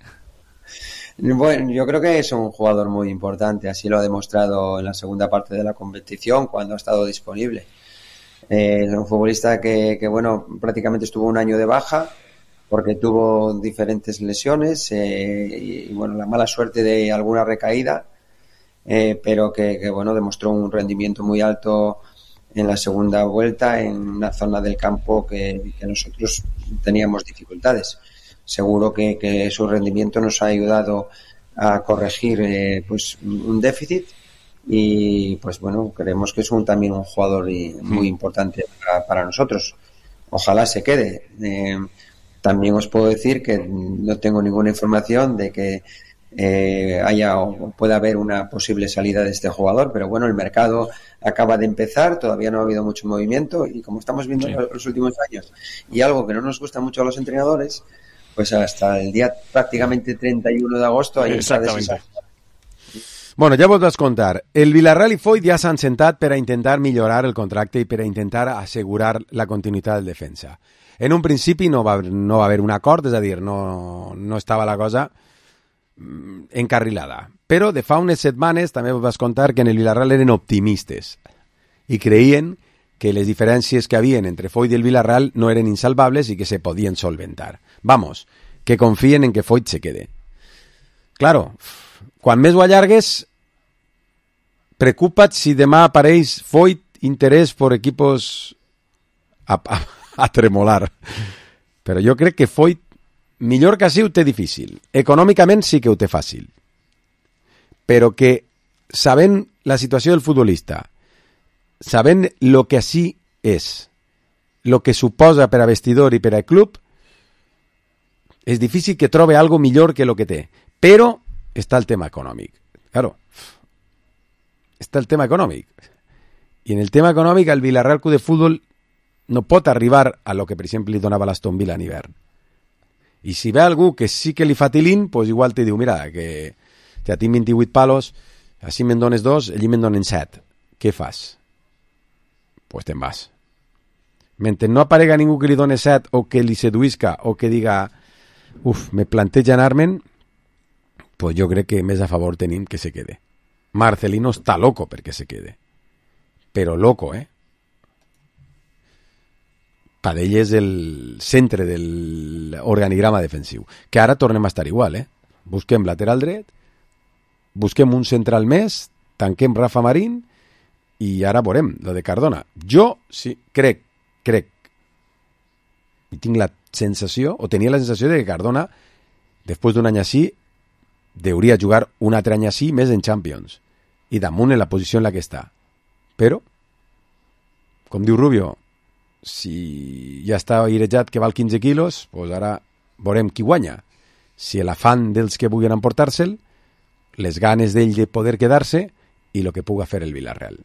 [SPEAKER 13] Bueno, yo creo que es un jugador muy importante, así lo ha demostrado en la segunda parte de la competición cuando ha estado disponible. Eh, es un futbolista que, que, bueno, prácticamente estuvo un año de baja porque tuvo diferentes lesiones eh, y, y, bueno, la mala suerte de alguna recaída, eh, pero que, que, bueno, demostró un rendimiento muy alto en la segunda vuelta en una zona del campo que, que nosotros teníamos dificultades. Seguro que, que su rendimiento nos ha ayudado a corregir eh, pues un déficit y pues bueno, creemos que es un, también un jugador y, muy importante para, para nosotros. Ojalá se quede. Eh, también os puedo decir que no tengo ninguna información de que eh, haya o pueda haber una posible salida de este jugador, pero bueno, el mercado acaba de empezar, todavía no ha habido mucho movimiento y como estamos viendo sí. en los últimos años, y algo que no nos gusta mucho a los entrenadores, pues hasta el día prácticamente treinta y uno de agosto ahí está deshacerse.
[SPEAKER 4] Bueno, ja vos vas contar. El Villarreal i Foyt ja s'han sentat per a intentar millorar el contracte i per a intentar assegurar la continuïtat del defensa. En un principi no va, no va haver un acord, és a dir, no, no estava la cosa encarrilada. Però de fa unes setmanes també vos vas contar que en el Villarreal eren optimistes i creien que les diferències que havien entre Foyt i el Villarreal no eren insalvables i que se podien solventar. Vamos, que confien en que Foyt se quede. Claro, quan més ho allargues, preocupa't si demà apareix Foyt interès per equipos a, a, a tremolar. però jo crec que Foyt, millor que així, ho té difícil. Econòmicament sí que ho té fàcil. Però que, sabent la situació del futbolista, sabent el que així és, el que suposa per a vestidor i per a club, és difícil que trobe algo millor que el que té. Però està el tema econòmic. Claro, està el tema econòmic. I en el tema econòmic el Villarreal Club de Futbol no pot arribar a lo que, per exemple, li donava l'Aston Villa en hivern. I si ve algú que sí que li fa tilín, pues igual te diu, mira, que ja tinc vint-i-vuit palos, així me'n dones dos, allí me'n donen set. Què fas? Pues te'n vas. Mentre no aparega ningú que li doni set o que li seduïsca o que diga, uf, me planteja anar-me'n, pues jo crec que més a favor tenim que se quede. Marcelino està loco perquè se quede. Però loco, eh? Padell és el centre de l'organigrama defensiu. Que ara tornem a estar igual, eh? Busquem lateral dret, busquem un central més, tanquem Rafa Marín i ara veurem, lo de Cardona. Jo sí, crec, crec, i tinc la sensació, o tenia la sensació de que Cardona, després d'un any així, hauria jugar un altre any així més en Champions. I damunt en la posició en la que està. Però, com diu Rubio, si ja està airejat que val quinze quilos, doncs ara veurem qui guanya. Si l'afant dels que vulguin emportar-se'l, les ganes d'ell de poder quedar-se i el que puga fer el Villarreal.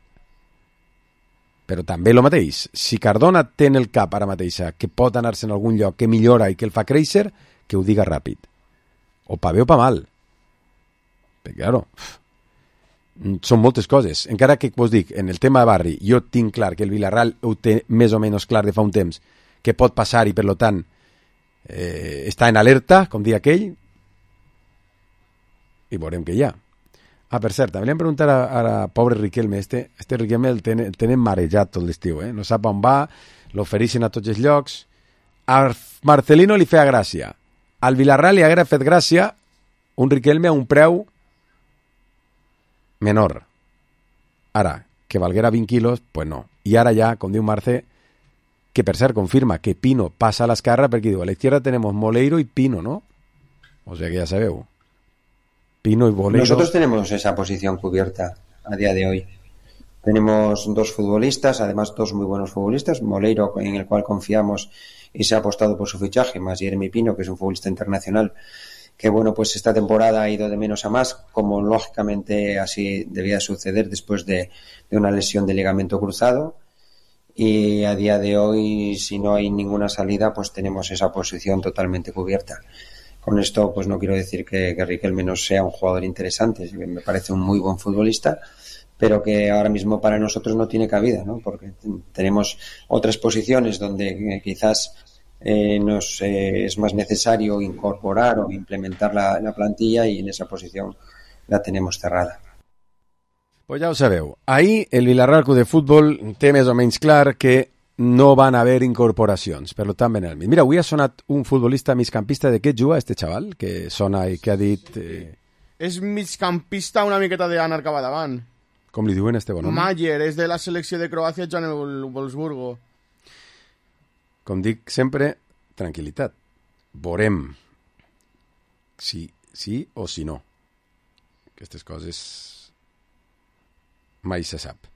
[SPEAKER 4] Però també el mateix, si Cardona té en el cap ara mateixa que pot anar-se en algun lloc que millora i que el fa créixer, que ho diga ràpid. O pa bé o pa mal. Perquè, claro, són moltes coses. Encara que vos dic, en el tema de barri, jo tinc clar que el Villarreal ho té més o menys clar de fa un temps, que pot passar i per lo tant eh, està en alerta, com dia aquell, i veurem que hi ha. Ah, per cert, també li hem preguntat a, a, a pobre Riquelme, este, este Riquelme el tenen, el tenen marejat tot l'estiu, eh? No sap on va, l'ofereixen a tots els llocs. A Marcelino li feia gràcia. Al Villarreal li haguera fet gràcia un Riquelme a un preu menor. Ara, que valguera vint quilos, pues no. I ara ja, com diu Marce, que per cert confirma que Pino passa a l'esquerra perquè diu, a l'esquerra tenemos Moleiro y Pino, ¿no? O sea que ya sabeu. Pino y Moleiro.
[SPEAKER 13] Nosotros tenemos esa posición cubierta a día de hoy. Tenemos dos futbolistas, además dos muy buenos futbolistas, Moleiro, en el cual confiamos y se ha apostado por su fichaje, más Jeremy Pino, que es un futbolista internacional, que bueno, pues esta temporada ha ido de menos a más, como lógicamente así debía suceder después de, de una lesión de ligamento cruzado, y a día de hoy, si no hay ninguna salida, pues tenemos esa posición totalmente cubierta. Con esto, pues no quiero decir que, que Riquelme no sea un jugador interesante, me parece un muy buen futbolista, pero que ahora mismo para nosotros no tiene cabida, ¿no? Porque tenemos otras posiciones donde quizás Eh, nos eh, es más necesario incorporar o implementar la, la plantilla y en esa posición la tenemos cerrada.
[SPEAKER 4] Pues ja ho sabeu, ahir el Villarreal Club de Futbol té més o menys clar que no van haver incorporacions, per tant ven el mig. Mira, avui ha sonat un futbolista migcampista. De què juga este xaval que sona i que ha dit... Eh...
[SPEAKER 5] És migcampista una miqueta d'anar cap davant.
[SPEAKER 4] Com li diuen este bon home?
[SPEAKER 5] Mayer, és de la selecció de Croàcia, en el Wolfsburgo.
[SPEAKER 4] Com dic sempre, tranquil·litat. Veurem si sí o si no. Aquestes coses mai se sap.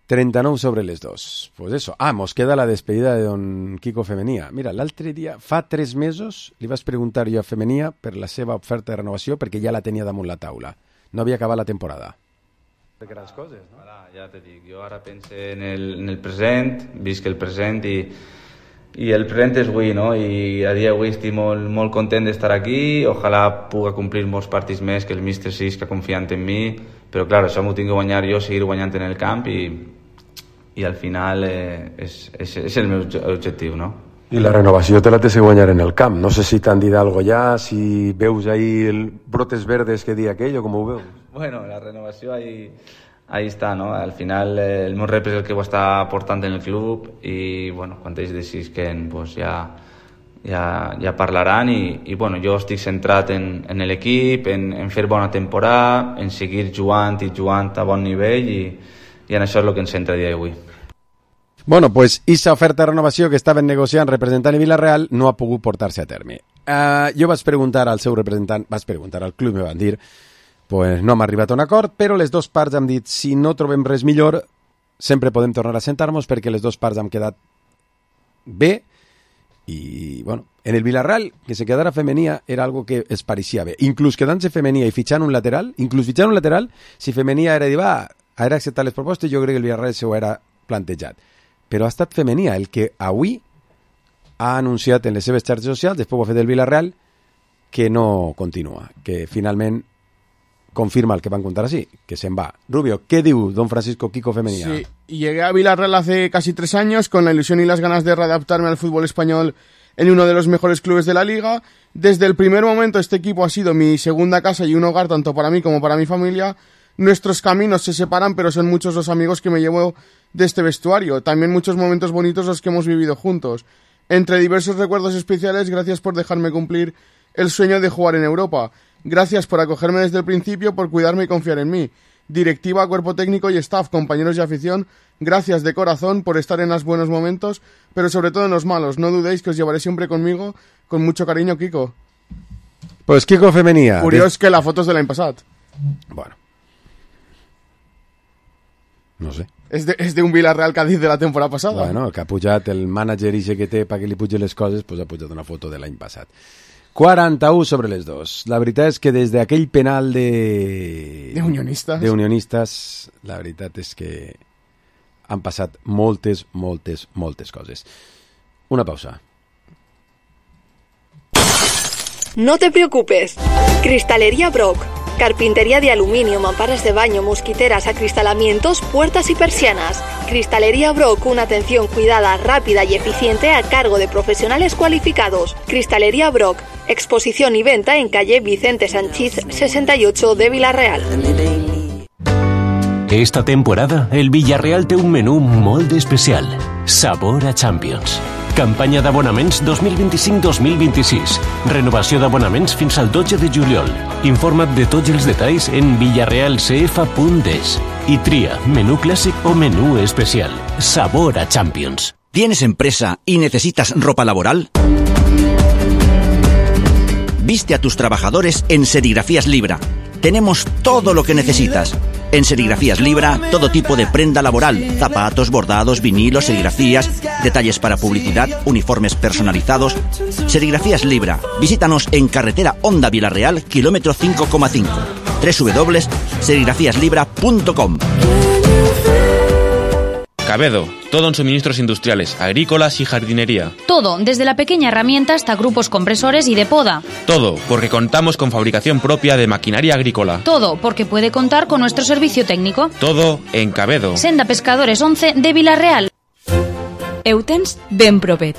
[SPEAKER 4] trenta-nou sobre les dos. Pues eso. Ah, mos queda la despedida de don Kiko Femenía. Mira, l'altre dia, fa tres mesos, li vaig preguntar jo a Femenía per la seva oferta de renovació perquè ja la tenia damunt la taula. No havia acabat la temporada.
[SPEAKER 15] De grans coses, no? Ara, ja te dic, jo ara penso en el, en el present, visc el present i i el present és avui, no? I a dia d'avui estic molt, molt content d'estar aquí, ojalà puga complir molts partits més, que el míster Sisca confiant en mi, però clar, això m'ho tinc que guanyar jo, seguir guanyant en el camp i, i al final eh, és, és, és el meu objectiu, no?
[SPEAKER 4] I la renovació te la tens que guanyar en el camp. No sé si t'han dit algo ja, si veus ahí el brotes verdes que di aquell o com ho veus?
[SPEAKER 15] Bueno, la renovació ahí... Ahí està, no? Al final eh, el meu rep és el que ho està portant en el club i, bueno, quan ells decidisquen, pues ja, ja, ja parlaran i, i, bueno, jo estic centrat en, en l'equip, en, en fer bona temporada, en seguir jugant i jugant a bon nivell i, i en això és el que ens centra a dia d'avui.
[SPEAKER 4] Bueno, pues esa oferta de renovació que estaven negociant representant i Villarreal no ha pogut portar-se a terme. Uh, jo vaig preguntar al seu representant, vaig preguntar al club, me van dir, pues no hem arribat a un acord, però les dues parts han dit, si no trobem res millor, sempre podem tornar a sentar-nos perquè les dues parts han quedat bé i, bueno, en el Villarreal, que se quedara femenia era algo que es pareixia bé. Inclús quedant-se femenia i fitxant un lateral, inclús fitxant un lateral, si femenia era dir, va, era acceptar les propostes, jo crec que el Villarreal s'ho era plantejat. Però ha estat femenia el que avui ha anunciat en les seves xarxes socials, després ho ha fet el Villarreal, que no continua, que finalment confirma el que van contar así, que se'n va. Rubio, ¿qué diu don Francisco Kiko Femenía?
[SPEAKER 5] Sí, llegué a Villarreal hace casi tres años con la ilusión y las ganas de readaptarme al fútbol español en uno de los mejores clubes de la liga. Desde el primer momento este equipo ha sido mi segunda casa y un hogar tanto para mí como para mi familia. Nuestros caminos se separan, pero son muchos los amigos que me llevo de este vestuario. También muchos momentos bonitos los que hemos vivido juntos. Entre diversos recuerdos especiales, gracias por dejarme cumplir el sueño de jugar en Europa. Gracias por acogerme desde el principio, por cuidarme y confiar en mí. Directiva, cuerpo técnico y staff, compañeros de afición, gracias de corazón por estar en los buenos momentos, pero sobre todo en los malos. No dudéis que os llevaré siempre conmigo, con mucho cariño, Kiko.
[SPEAKER 4] Pues Kiko Femenía.
[SPEAKER 5] Curioso des... que la foto es de l'any passat.
[SPEAKER 4] Bueno. No sé.
[SPEAKER 5] És de, és d'un Villarreal Cádiz de la temporada passada.
[SPEAKER 4] Bueno, que ha pujat el mànager ixe que té perquè li pugi les coses, pues ha pujat una foto de l'any passat. quaranta-u sobre les dos. La veritat és que des d'aquell penal de...
[SPEAKER 5] De unionistes.
[SPEAKER 4] De unionistes, la veritat és que han passat moltes, moltes, moltes coses. Una pausa.
[SPEAKER 10] No te preocupes. Cristalería Brock. Carpintería de aluminio, mamparas de baño, mosquiteras, acristalamientos, puertas y persianas. Cristalería Brock, una atención cuidada, rápida y eficiente a cargo de profesionales cualificados. Cristalería Brock, exposición y venta en calle Vicente Sanchís sesenta y ocho de Villarreal.
[SPEAKER 12] Esta temporada, el Villarreal té un menú molt especial. Sabor a Champions. Campanya d'abonaments dos mil vint-i-cinc dos mil vint-i-sis. Renovació d'abonaments fins al dotze de juliol. Informa't de tots els detalls en villarreal c f punt es i tria menú clàssic o menú especial. Sabor a Champions.
[SPEAKER 14] ¿Tienes empresa y necesitas ropa laboral? Viste a tus trabajadores en Serigrafías Libra. Tenemos todo lo que necesitas. En Serigrafías Libra, todo tipo de prenda laboral, zapatos, bordados, vinilos, serigrafías, detalles para publicidad, uniformes personalizados. Serigrafías Libra. Visítanos en carretera Honda Villarreal, kilómetro cinco coma cinco. doble u doble u doble u punto serigrafías libra punto com.
[SPEAKER 16] Cabedo, todo en suministros industriales, agrícolas y jardinería.
[SPEAKER 11] Todo, desde la pequeña herramienta hasta grupos compresores y de poda.
[SPEAKER 16] Todo, porque contamos con fabricación propia de maquinaria agrícola.
[SPEAKER 11] Todo, porque puede contar con nuestro servicio técnico.
[SPEAKER 16] Todo en Cabedo.
[SPEAKER 11] Senda Pescadores once de Villarreal.
[SPEAKER 17] Heu tens ben propet.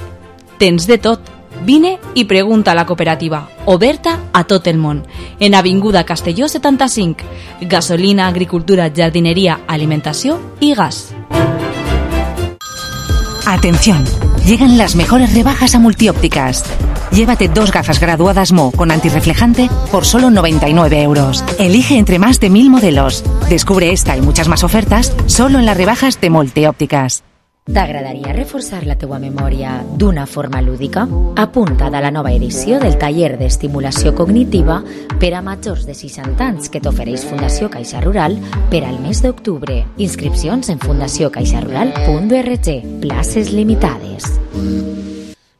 [SPEAKER 17] Tens de tot. Vine i pregunta a la cooperativa, oberta a tot el món, en Avinguda Castelló setanta-cinc. Gasolina, agricultura, jardinería, alimentació i gas.
[SPEAKER 18] Atención, llegan las mejores rebajas a Multiópticas. Llévate dos gafas graduadas Mo con antirreflejante por solo noventa y nueve euros. Elige entre más de mil modelos. Descubre esta y muchas más ofertas solo en las rebajas de Multiópticas.
[SPEAKER 2] T'agradaria reforçar la teua memòria d'una forma lúdica? Apunta't a la nova edició del taller d'estimulació cognitiva per a majors de seixanta anys que t'ofereix Fundació Caixa Rural per al mes d'octubre. Inscripcions en fundació caixa rural punt org. Places limitades.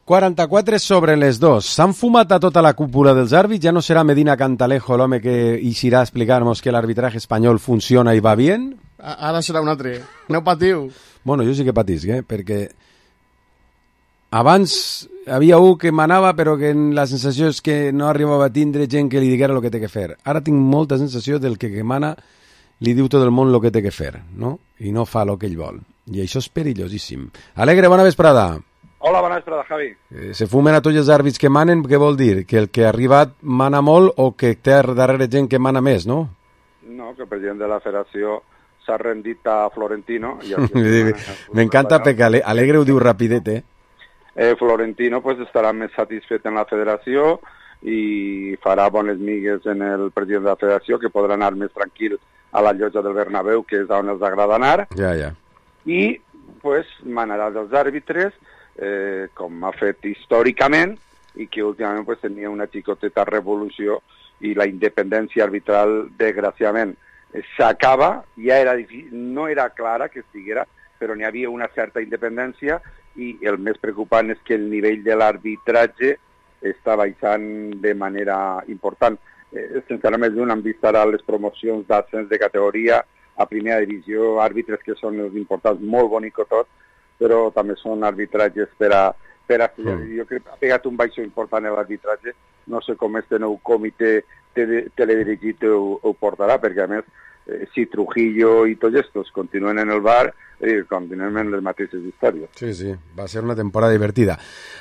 [SPEAKER 4] quaranta-quatre sobre les dos. S'han fumat a tota la cúpula dels àrbits. Ja no serà Medina Cantalejo l'home que eixirà a explicar-nos que l'arbitraje espanyol funciona i va bien?
[SPEAKER 5] Ara serà un altre. No patiu.
[SPEAKER 4] Bueno, jo sí que patisc, eh? Perquè abans havia un que manava però que la sensació és que no arribava a tindre gent que li diguera el que té que fer. Ara tinc molta sensació del que, que mana li diu tot el món el que té que fer, no? I no fa el que ell vol. I això és perillosíssim. Alegre, bona vesprada.
[SPEAKER 19] Hola, bona vesprada, Javi.
[SPEAKER 4] Eh, se fumen a tots els àrbits que manen, què vol dir? Que el que ha arribat mana molt o que té darrere gent que mana més, no?
[SPEAKER 19] No, que el president de la federació s'ha rendit a Florentino.
[SPEAKER 4] M'encanta perquè Alegre ho diu rapidet, eh?
[SPEAKER 19] eh? Florentino pues, estarà més satisfet en la federació i farà bones migues en el president de la federació, que podrà anar més tranquil a la llotja del Bernabéu, que és on els agrada anar.
[SPEAKER 4] Ja, ja.
[SPEAKER 19] I pues, manarà dels àrbitres, eh, com ha fet històricament, i que últimament pues, tenia una xicoteta revolució i la independència arbitral, desgraciadament, s'acaba, ja era difícil, no era clara que estiguera, però n'hi havia una certa independència i el més preocupant és que el nivell de l'arbitratge està baixant de manera important. Eh, sense anar més d'un, hem vist ara les promocions d'ascens de categoria a primera divisió, àrbitres que són els importants, molt bonic tot, però també són arbitratges per a... Per a mm. Jo crec que ha pegat un baixo important en l'arbitratge, no sé com este nou comitè teledirigit ho, ho portarà, perquè a més, eh, si Trujillo i tots estos continuen en el bar, eh, continuen en les mateixes històries.
[SPEAKER 4] Sí, sí, va ser una temporada divertida.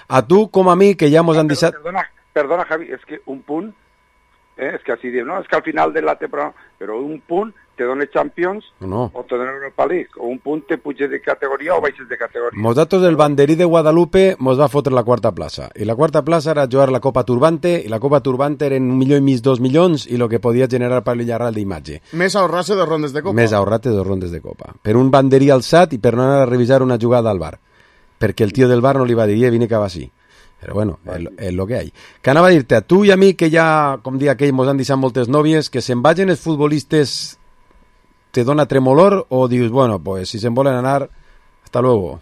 [SPEAKER 4] A tu, com a mi, que ja mos han deixat...
[SPEAKER 19] Perdona, perdona, Javi, és que un punt, eh, és que així diem, no, és que al final de la temporada, però un punt te dona Champions
[SPEAKER 4] no.
[SPEAKER 19] o te dona Europa League, o un punt te puja de categoria o baixes de categoria.
[SPEAKER 4] Mos datos del banderí de Guadalupe mos va fotre la quarta plaça, i la quarta plaça era jugar la Copa Turbante, i la Copa Turbante eren un milió i mig, dos milions, i el que podia generar per l'Illarral d'imatge.
[SPEAKER 5] Més ahorrar-se dos rondes de Copa.
[SPEAKER 4] Més ahorrar-te dos rondes de Copa. Per un banderí alçat i per no anar a revisar una jugada al bar, perquè el tio del bar no li va dir, eh, vine que va així. Però bueno, és es lo que hay. Que anava a dir-te, a tu i a mi, que ja, com dia aquell, mos han deixat moltes nòvies, que se'n vagin els futbolistes te dona tremolor o dius, bueno, pues si se'n volen anar, hasta luego?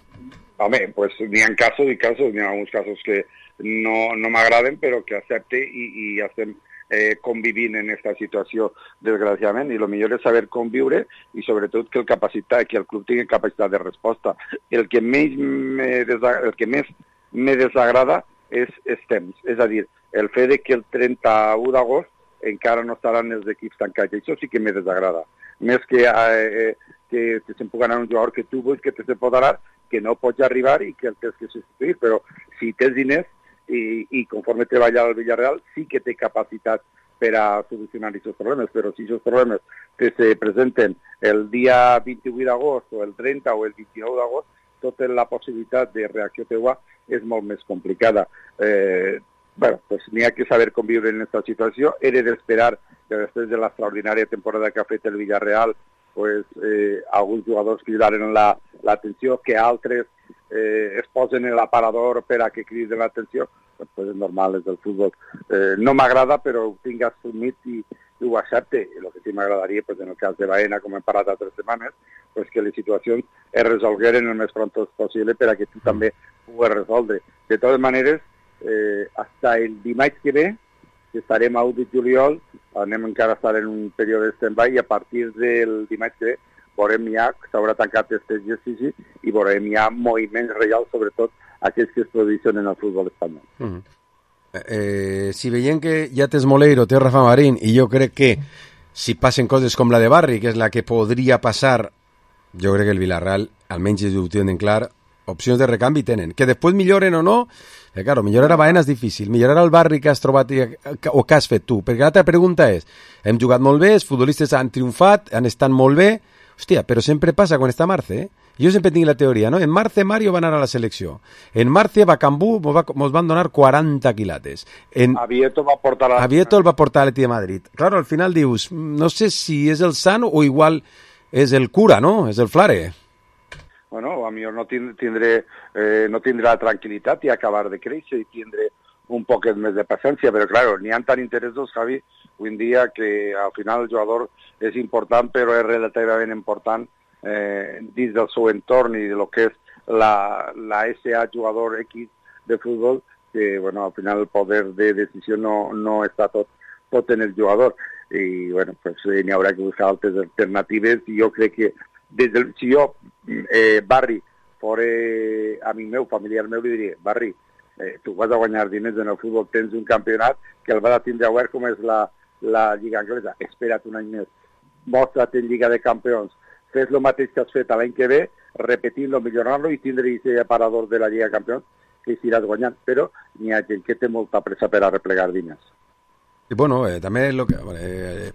[SPEAKER 19] Home, pues n'hi ha casos i casos, n'hi ha alguns casos que no, no m'agraden, però que accepte i, i estem eh, convivint en aquesta situació, desgraciadament, i el millor és saber conviure i sobretot que el, capacitat, que el club tingui capacitat de resposta. El que més me, desagrada, el que més me desagrada és els temps, és a dir, el fet de que el trenta-u d'agost encara no estaran els equips tancats, això sí que me desagrada. Més que, eh, que, que se'n pugui anar un jugador que tu vull que te se pot anar, que no pots arribar i que el tens que substituir, però si tens diners i, i conforme treballa al Villarreal, sí que té capacitat per a solucionar aquests problemes, però si aquests problemes que se presenten el dia vint-i-vuit d'agost o el trenta o el vint-i-nou d'agost, tota la possibilitat de reacció teua és molt més complicada. Eh, bueno, pues n'hi ha que saber conviure en aquesta situació. Era d'esperar que després de l'extraordinària temporada que ha fet el Villarreal, pues, eh, alguns jugadors cridaren l'atenció, la, que altres eh, es posen en l'aparador per a que criden l'atenció, pues és normal, és del futbol. Eh, no m'agrada, però ho tinc assumit i, i ho accepte. El que sí m'agradaria, pues, en el cas de Baena, com hem parlat altres setmanes, pues, que les situacions es resolgueren el més pronto possible per a que tu també puguis resoldre. De totes maneres, eh, hasta el dimarts que ve, que estarem a u de juliol, anem encara a estar en un període de stand-by i a partir del dimarts que ve veurem ja, s'haurà tancat aquest exercici i veurem ja moviments reals, sobretot aquells que es produeixen en el futbol espanyol.
[SPEAKER 4] Mm-hmm. eh, si veiem que ja tens Moleiro, té Rafa Marín, i jo crec que si passen coses com la de Barri, que és la que podria passar, jo crec que el Villarreal, almenys ho tenen clar, opcions de recanvi tenen. Que després milloren o no, eh, claro, millorar a Baena és difícil, millorar al Barri que has trobat i, o que has fet tu, perquè l'altra pregunta és, hem jugat molt bé, els futbolistes han triomfat, han estat molt bé, hòstia, però sempre passa quan està Marce, eh? Jo sempre tinc la teoria, no? En Marce Mario va anar a la selecció, en Marce Bacambú mos, va, mos van donar quaranta quilates, en...
[SPEAKER 19] A Vieto va portar a...
[SPEAKER 4] A Vieto el va portar a l'Atleti de Madrid. Claro, al final dius, no sé si és el sano o igual és el cura, no? És el flare.
[SPEAKER 19] Bueno, a mi no tindré, eh, no tindré la tranquil·litat i acabar de créixer i tindré un poquet més de paciència, però claro, n'hi ha tan interessos, Javi, avui en dia que al final el jugador és important, però és relativament important eh, dins del seu entorn i de lo que és la, la S A jugador X de futbol, que bueno, al final el poder de decisió no, no està tot, tot en el jugador. I bueno, pues eh, n'hi haurà que buscar altres alternatives i jo crec que des del, si jo, eh, Barri, fora amic meu, familiar meu, li diria, Barri, eh, tu vas a guanyar diners en el futbol, tens un campionat que el vas a tindre obert com és la, la Lliga Anglesa, espera't un any més, mostra't en Lliga de Campions, fes el mateix que has fet l'any que ve, repetint-lo, millorant-lo i tindre aquest aparador de la Lliga de Campions que s'iràs guanyant, però n'hi ha gent que té molta pressa per a replegar diners.
[SPEAKER 4] I bueno, eh, també lo que... Eh,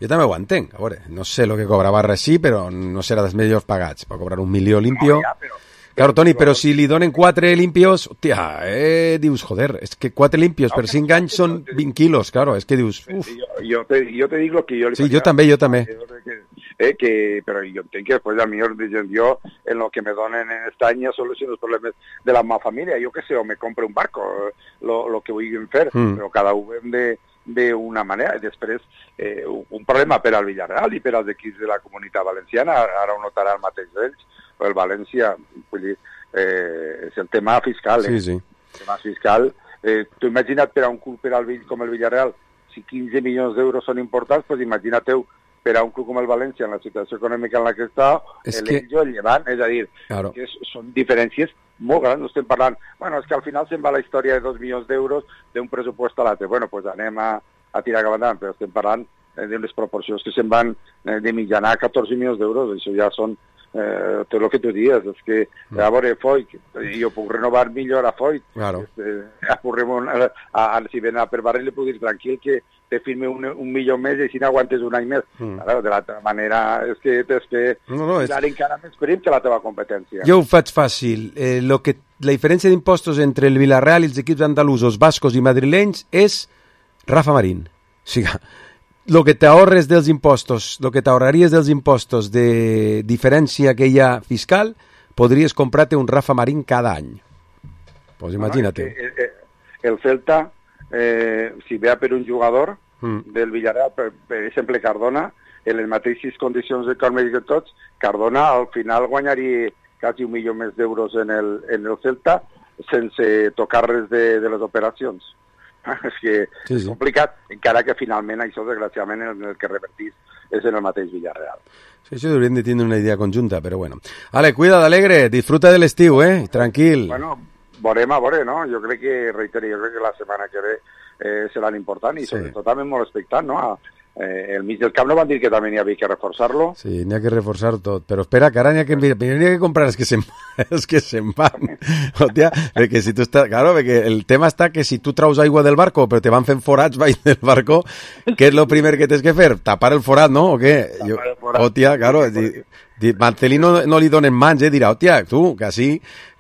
[SPEAKER 4] jo també ho entenc, a veure, no sé el que cobra Barra sí, però no serà dels millors pagats, per cobrar un milió limpio... No, ja, però... Claro, Toni, però si li donen quatre limpios, hòstia, eh, dius, joder, és que quatre limpios no, per cinc no, anys són vint quilos, claro, és que dius, uf.
[SPEAKER 19] Jo, jo, te, jo te dic lo que jo li
[SPEAKER 4] Sí, jo també, jo també.
[SPEAKER 19] Que, eh, que, però jo entenc que després a mi jo en lo que me donen en este any soluciono els problemes de la meva família, jo que sé, o me compre un barco, lo, lo que vulguin fer, mm. però cada un hem de d'una manera, i després eh, un problema per al Villarreal i per als equips de la Comunitat Valenciana, ara ho notarà el mateix d'ells, el València, vull dir, eh, és el tema fiscal, eh?
[SPEAKER 4] Sí, sí.
[SPEAKER 19] El tema fiscal, eh, tu imagina't per a un club per al com el Villarreal, si quinze milions d'euros són importants, doncs imagina-teu per a un club com el València, en la situació econòmica en la que està,
[SPEAKER 4] es
[SPEAKER 19] el
[SPEAKER 4] que...
[SPEAKER 19] Ello, el Llevant, és a dir,
[SPEAKER 4] claro.
[SPEAKER 19] que és, són diferències molt grans, no estem parlant, bueno, és que al final se'n va la història de dos milions d'euros d'un pressupost a l'altre, bueno, doncs pues anem a, a tirar cap endavant, però estem parlant eh, d'unes proporcions que se'n van eh, de mitjana a catorze milions d'euros, això ja són eh, tot el que tu dies, és que mm. a veure, Foyt, jo puc renovar millor a Foyt,
[SPEAKER 4] claro.
[SPEAKER 19] este, a, a, a, a, si ven a per barrer li puc dir tranquil que te firme un, un milió més i si no aguantes un any més. Mm. Claro, de l'altra manera és que tens que
[SPEAKER 4] no, no, és...
[SPEAKER 19] dar encara més prim que la teva competència.
[SPEAKER 4] Jo ho faig fàcil. Eh, lo que, la diferència d'impostos entre el Villarreal i els equips andalusos, bascos i madrilenys és Rafa Marín. O sigui, lo que t'ahorres dels impostos, lo que t'ahorraries dels impostos de diferència que hi ha fiscal, podries comprar-te un Rafa Marín cada any. Pues imagina't.
[SPEAKER 19] No, no, el, el Celta, eh, si ve a per un jugador mm. del Villarreal, per, per exemple Cardona, en les mateixes condicions econòmiques que tots, Cardona al final guanyaria quasi un milió més d'euros en el, en el Celta sense tocar res de, de les operacions. És que sí, sí. és complicat, encara que finalment això, desgraciadament, en el que revertís és en el mateix Villarreal.
[SPEAKER 4] Sí, això hauríem de tenir una idea conjunta, però bueno. Ale, cuida d'Alegre, disfruta de l'estiu, eh? Tranquil.
[SPEAKER 19] Bueno, veurem a veure, no? Jo crec que, reitero, jo crec que la setmana que ve eh, serà important i sí. sobretot també molt expectant, no? A, Eh, el mig del camp no van dir que també n'hi havia que reforçar-lo.
[SPEAKER 4] Sí, n'hi ha que reforçar tot, però espera, que ara n'hi ha que, n'hi ha que comprar els que se'n, els que se'n van. Hòstia, perquè si tu estàs... Claro, perquè el tema està que si tu traus aigua del barco però te van fent forats baix del barco, què és el primer que tens que fer? Tapar el forat, no? O què? Jo, hòstia, claro, di, di, Marcelino no li donen mans, eh? Dirà, hòstia, tu, que així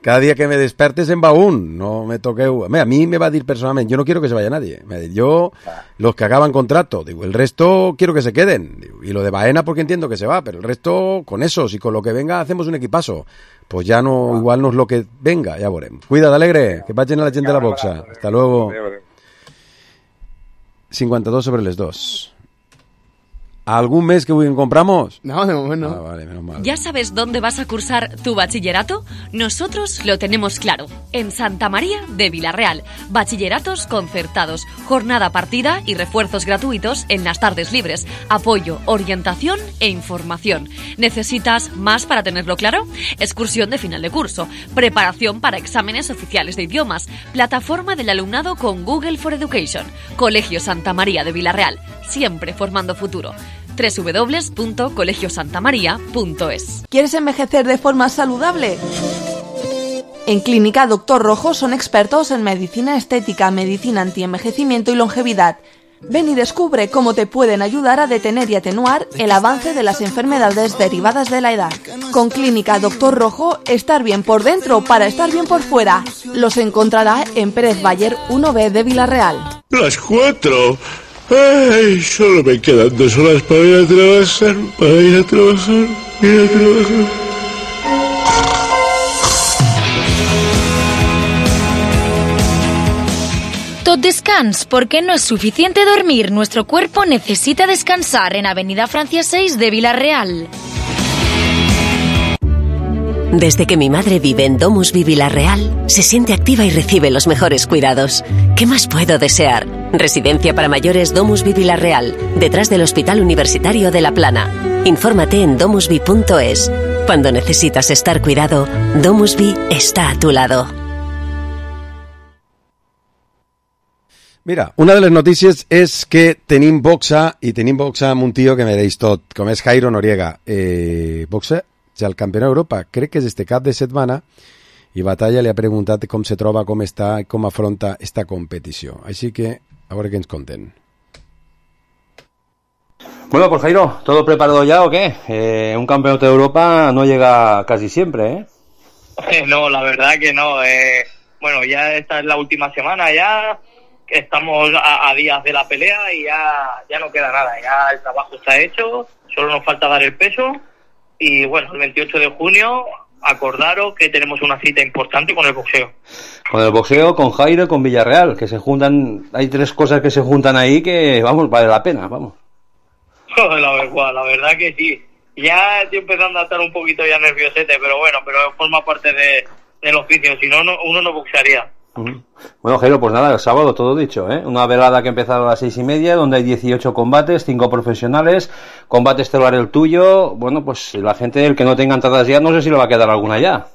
[SPEAKER 4] cada dia que me despertes en va un, no me toqueu... A mí me va a decir personalmente, yo no quiero que se vaya nadie. Me dice, yo, los que acaban contrato, digo, el resto quiero que se queden. Digo, y lo de Baena porque entiendo que se va, pero el resto con esos y con lo que venga hacemos un equipazo. Pues ya no, igual no es lo que venga, ya veremos. Cuida, Alegre, que vayan a la gente de la boxa. Hasta luego. cincuenta y dos sobre les dos. ¿Algún mes que compramos?
[SPEAKER 5] No, de momento no.
[SPEAKER 4] Ah, vale, menos mal.
[SPEAKER 17] ¿Ya sabes dónde vas a cursar tu bachillerato? Nosotros lo tenemos claro. En Santa María de Villarreal. Bachilleratos concertados, jornada partida y refuerzos gratuitos en las tardes libres. Apoyo, orientación e información. ¿Necesitas más para tenerlo claro? Excursión de final de curso. Preparación para exámenes oficiales de idiomas. Plataforma del alumnado con Google for Education. Colegio Santa María de Villarreal. Siempre formando futuro. doble u doble u doble u punto colegio santa maría punto es.
[SPEAKER 10] ¿Quieres envejecer de forma saludable? En Clínica Doctor Rojo son expertos en medicina estética, medicina antienvejecimiento y longevidad. Ven y descubre cómo te pueden ayudar a detener y atenuar el avance de las enfermedades derivadas de la edad. Con Clínica Doctor Rojo, estar bien por dentro para estar bien por fuera. Los encontrará en Pérez Bayer uno B de Villarreal.
[SPEAKER 20] Las cuatro. Ay, solo me quedan dos horas para ir a trabajar, para ir a trabajar, ir a trabajar.
[SPEAKER 11] Tot descans, porque no es suficiente dormir. Nuestro cuerpo necesita descansar en Avenida Francia seis de Villarreal.
[SPEAKER 21] Desde que mi madre vive en Domusvi Villarreal, se siente activa y recibe los mejores cuidados. ¿Qué más puedo desear? Residencia para mayores Domusvi Villarreal, detrás del Hospital Universitario de La Plana. Infórmate en domusvi punto es. Cuando necesitas estar cuidado, Domusvi está a tu lado.
[SPEAKER 4] Mira, una de les notícies és que tenim boxa, i tenim boxa amb un tio que mereix tot, com és Jairo Noriega. Eh, boxa, ja el campió d'Europa, crec que és este cap de setmana, i Batalla li ha preguntat com se troba, com està, com afronta esta competició. Així que, a veure què ens conten.
[SPEAKER 22] Bueno, pues Jairo, ¿todo preparado ya o qué? Eh, un campeonato de Europa no llega casi siempre, ¿eh?
[SPEAKER 23] No, la verdad que no. Eh, bueno, ya esta es la última semana ya, estamos a, a días de la pelea y ya, ya no queda nada. Ya el trabajo está hecho, solo nos falta dar el peso y bueno, el veintiocho de junio acordaros que tenemos una cita importante con el boxeo.
[SPEAKER 22] Con el boxeo, con Jairo y con Villarreal, que se juntan, hay tres cosas que se juntan ahí que, vamos, vale la pena, vamos.
[SPEAKER 23] La verdad, la verdad que sí. Ya estoy empezando a estar un poquito ya nerviosete, pero bueno, pero forma parte de, del oficio, si no, no uno no boxearía.
[SPEAKER 22] Bueno, Jairo, pues nada, el sábado todo dicho, ¿eh? Una velada que empezó a las seis y media, donde hay dieciocho combates, cinco profesionales, combate estelar el tuyo. Bueno, pues la gente, el que no tenga entradas ya, no sé si le va a quedar alguna ya.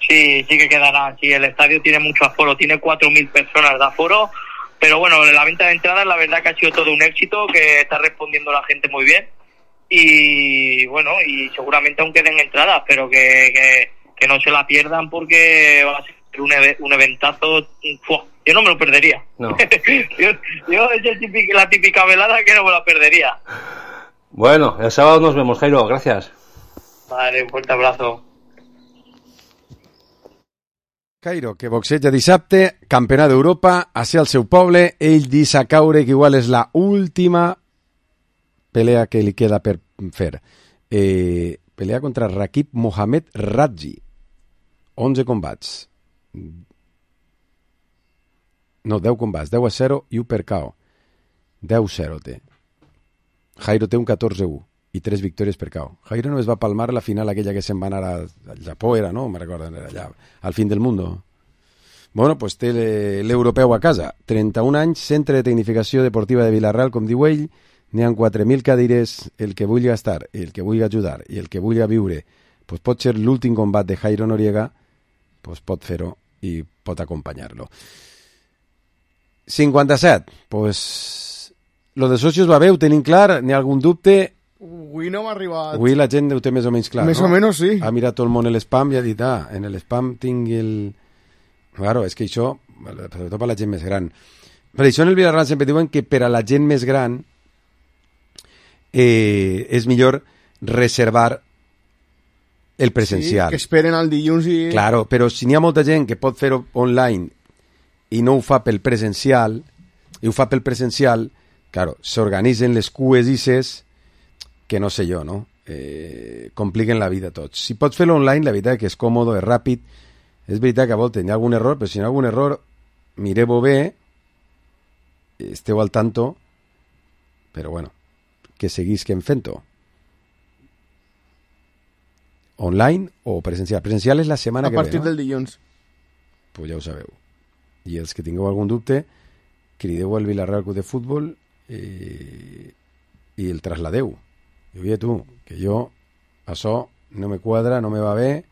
[SPEAKER 23] Sí, sí que quedará. Sí, el estadio tiene mucho aforo, tiene cuatro mil personas de aforo, pero bueno, la venta de entradas, la verdad que ha sido todo un éxito, que está respondiendo la gente muy bien. Y bueno, y seguramente aún queden entradas, pero que, que, que no se la pierdan porque va a ser un, un eventazo. ¡Fua! Yo no me lo perdería.
[SPEAKER 22] No.
[SPEAKER 23] yo, yo es el típico, la típica velada que no me la perdería.
[SPEAKER 22] Bueno, el sábado nos vemos, Jairo, gracias.
[SPEAKER 23] Vale, un fuerte abrazo.
[SPEAKER 4] Jairo, que boxeja dissabte, campionat d'Europa, a ser al seu poble, ell deixa caure que igual és la última pelea que li queda per fer. Eh, pelea contra Rakib Mohamed Radji. onze combats. No, deu combats, deu a zero i u per K O. deu a zero té. Jairo té un catorze a u i tres victòries per K O. Jairo només va palmar la final aquella que se'n va anar al Japó, era, no? Me recordo, era allà, al fin del mundo. Bueno, pues té l'europeu a casa. trenta-un anys, centre de tecnificació deportiva de Vilareal, com diu ell, n'hi ha quatre mil cadires, el que vulgui estar, el que vulgui ajudar i el que vulgui viure, pues pot ser l'últim combat de Jairo Noriega, pues pot fer-ho i pot acompanyar-lo. cinquanta-set, pues lo de socios va bé, ho tenim clar, n'hi ha algun dubte?
[SPEAKER 5] Avui no m'ha arribat.
[SPEAKER 4] Avui la gent ho té més o menys clar,
[SPEAKER 5] més
[SPEAKER 4] no?
[SPEAKER 5] o menys sí.
[SPEAKER 4] Ha mirat tot el món el spam i ha dit, ah, en el spam tinc el... Claro, és que això, sobretot per la gent més gran. Per això en el Vilareal sempre diuen que per a la gent més gran eh, és millor reservar el presencial.
[SPEAKER 5] Sí, que esperen al dilluns i...
[SPEAKER 4] Claro, però si n'hi ha molta gent que pot fer-ho online i no ho fa pel presencial, i ho fa pel presencial, claro, s'organitzen les cues i ses que no sé jo, no? Eh, compliquen la vida a tots. Si pots fer-lo online, la veritat que és còmode, és ràpid. És veritat que a voltes hi ha algun error, però si hi ha algun error, mireu-ho bé, esteu al tanto, però bueno, que seguisquen fent-ho. Online o presencial. Presencial és la setmana
[SPEAKER 5] a
[SPEAKER 4] que ve, no?
[SPEAKER 5] A partir del dilluns.
[SPEAKER 4] Pues ja ho sabeu. I els que tingueu algun dubte, crideu al Vilareal Club de Futbol eh, i el trasladeu. I oye tu, que jo, això no me quadra, no me va bé,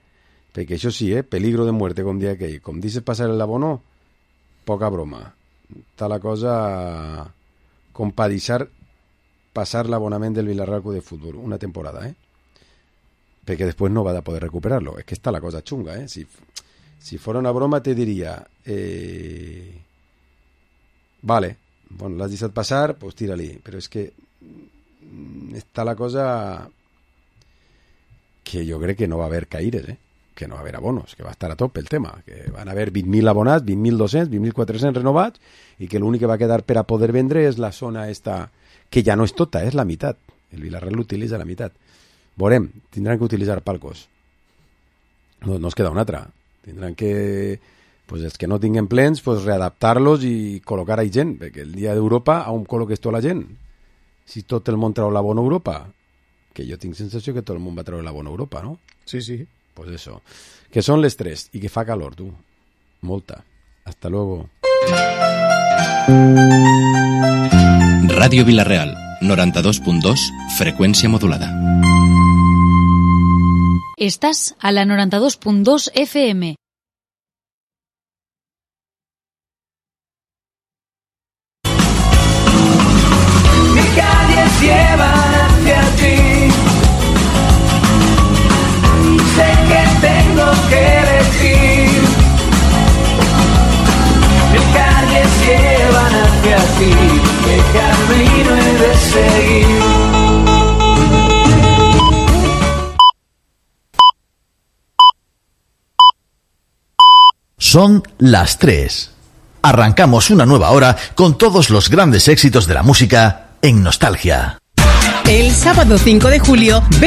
[SPEAKER 4] perquè això sí, eh, peligro de muerte, com dia aquell. Com dices passar el abono, poca broma. Està la cosa com pa deixar passar l'abonament del Vilareal Club de Futbol una temporada, eh? Perquè després no va a poder recuperar-lo. És que està la cosa xunga, eh? Si, si fora una broma te diria eh, vale, bueno, l'has deixat passar, pues tira-li. Però és que està la cosa que jo crec que no va haver caires, eh? Que no va haver abonos, que va estar a tope el tema, que van haver vint mil abonats, vint mil dos-cents, vint mil quatre-cents renovats, i que l'únic que va quedar per a poder vendre és la zona esta, que ja no és tota, és la meitat. El Vilareal l'utilitza la meitat. Veurem, tindran que utilitzar palcos. No, no es queda una altra. Tindran que, pues els que no tinguen plens, pues readaptar-los i col·locar ahí gent, perquè el dia d'Europa on col·loques tota la gent? Si tot el món treu l'abono a Europa, que jo tinc sensació que tot el món va treure l'abono a Europa, no?
[SPEAKER 5] Sí, sí.
[SPEAKER 4] Pues eso. Que son les tres y que fa calor, tú. Molta. Hasta luego.
[SPEAKER 1] Radio Vilareal, noranta-dos punt dos, freqüència modulada.
[SPEAKER 11] Estás a la noranta-dos punt dos F M.
[SPEAKER 3] Mis calles llevan hacia ti. Sé que tengo que elegir. Mis calles llevan hacia ti. ¿Qué camino he de seguir?
[SPEAKER 6] Son las tres. Arrancamos una nueva hora con todos los grandes éxitos de la música en Nostalgia. El sábado cinco de julio,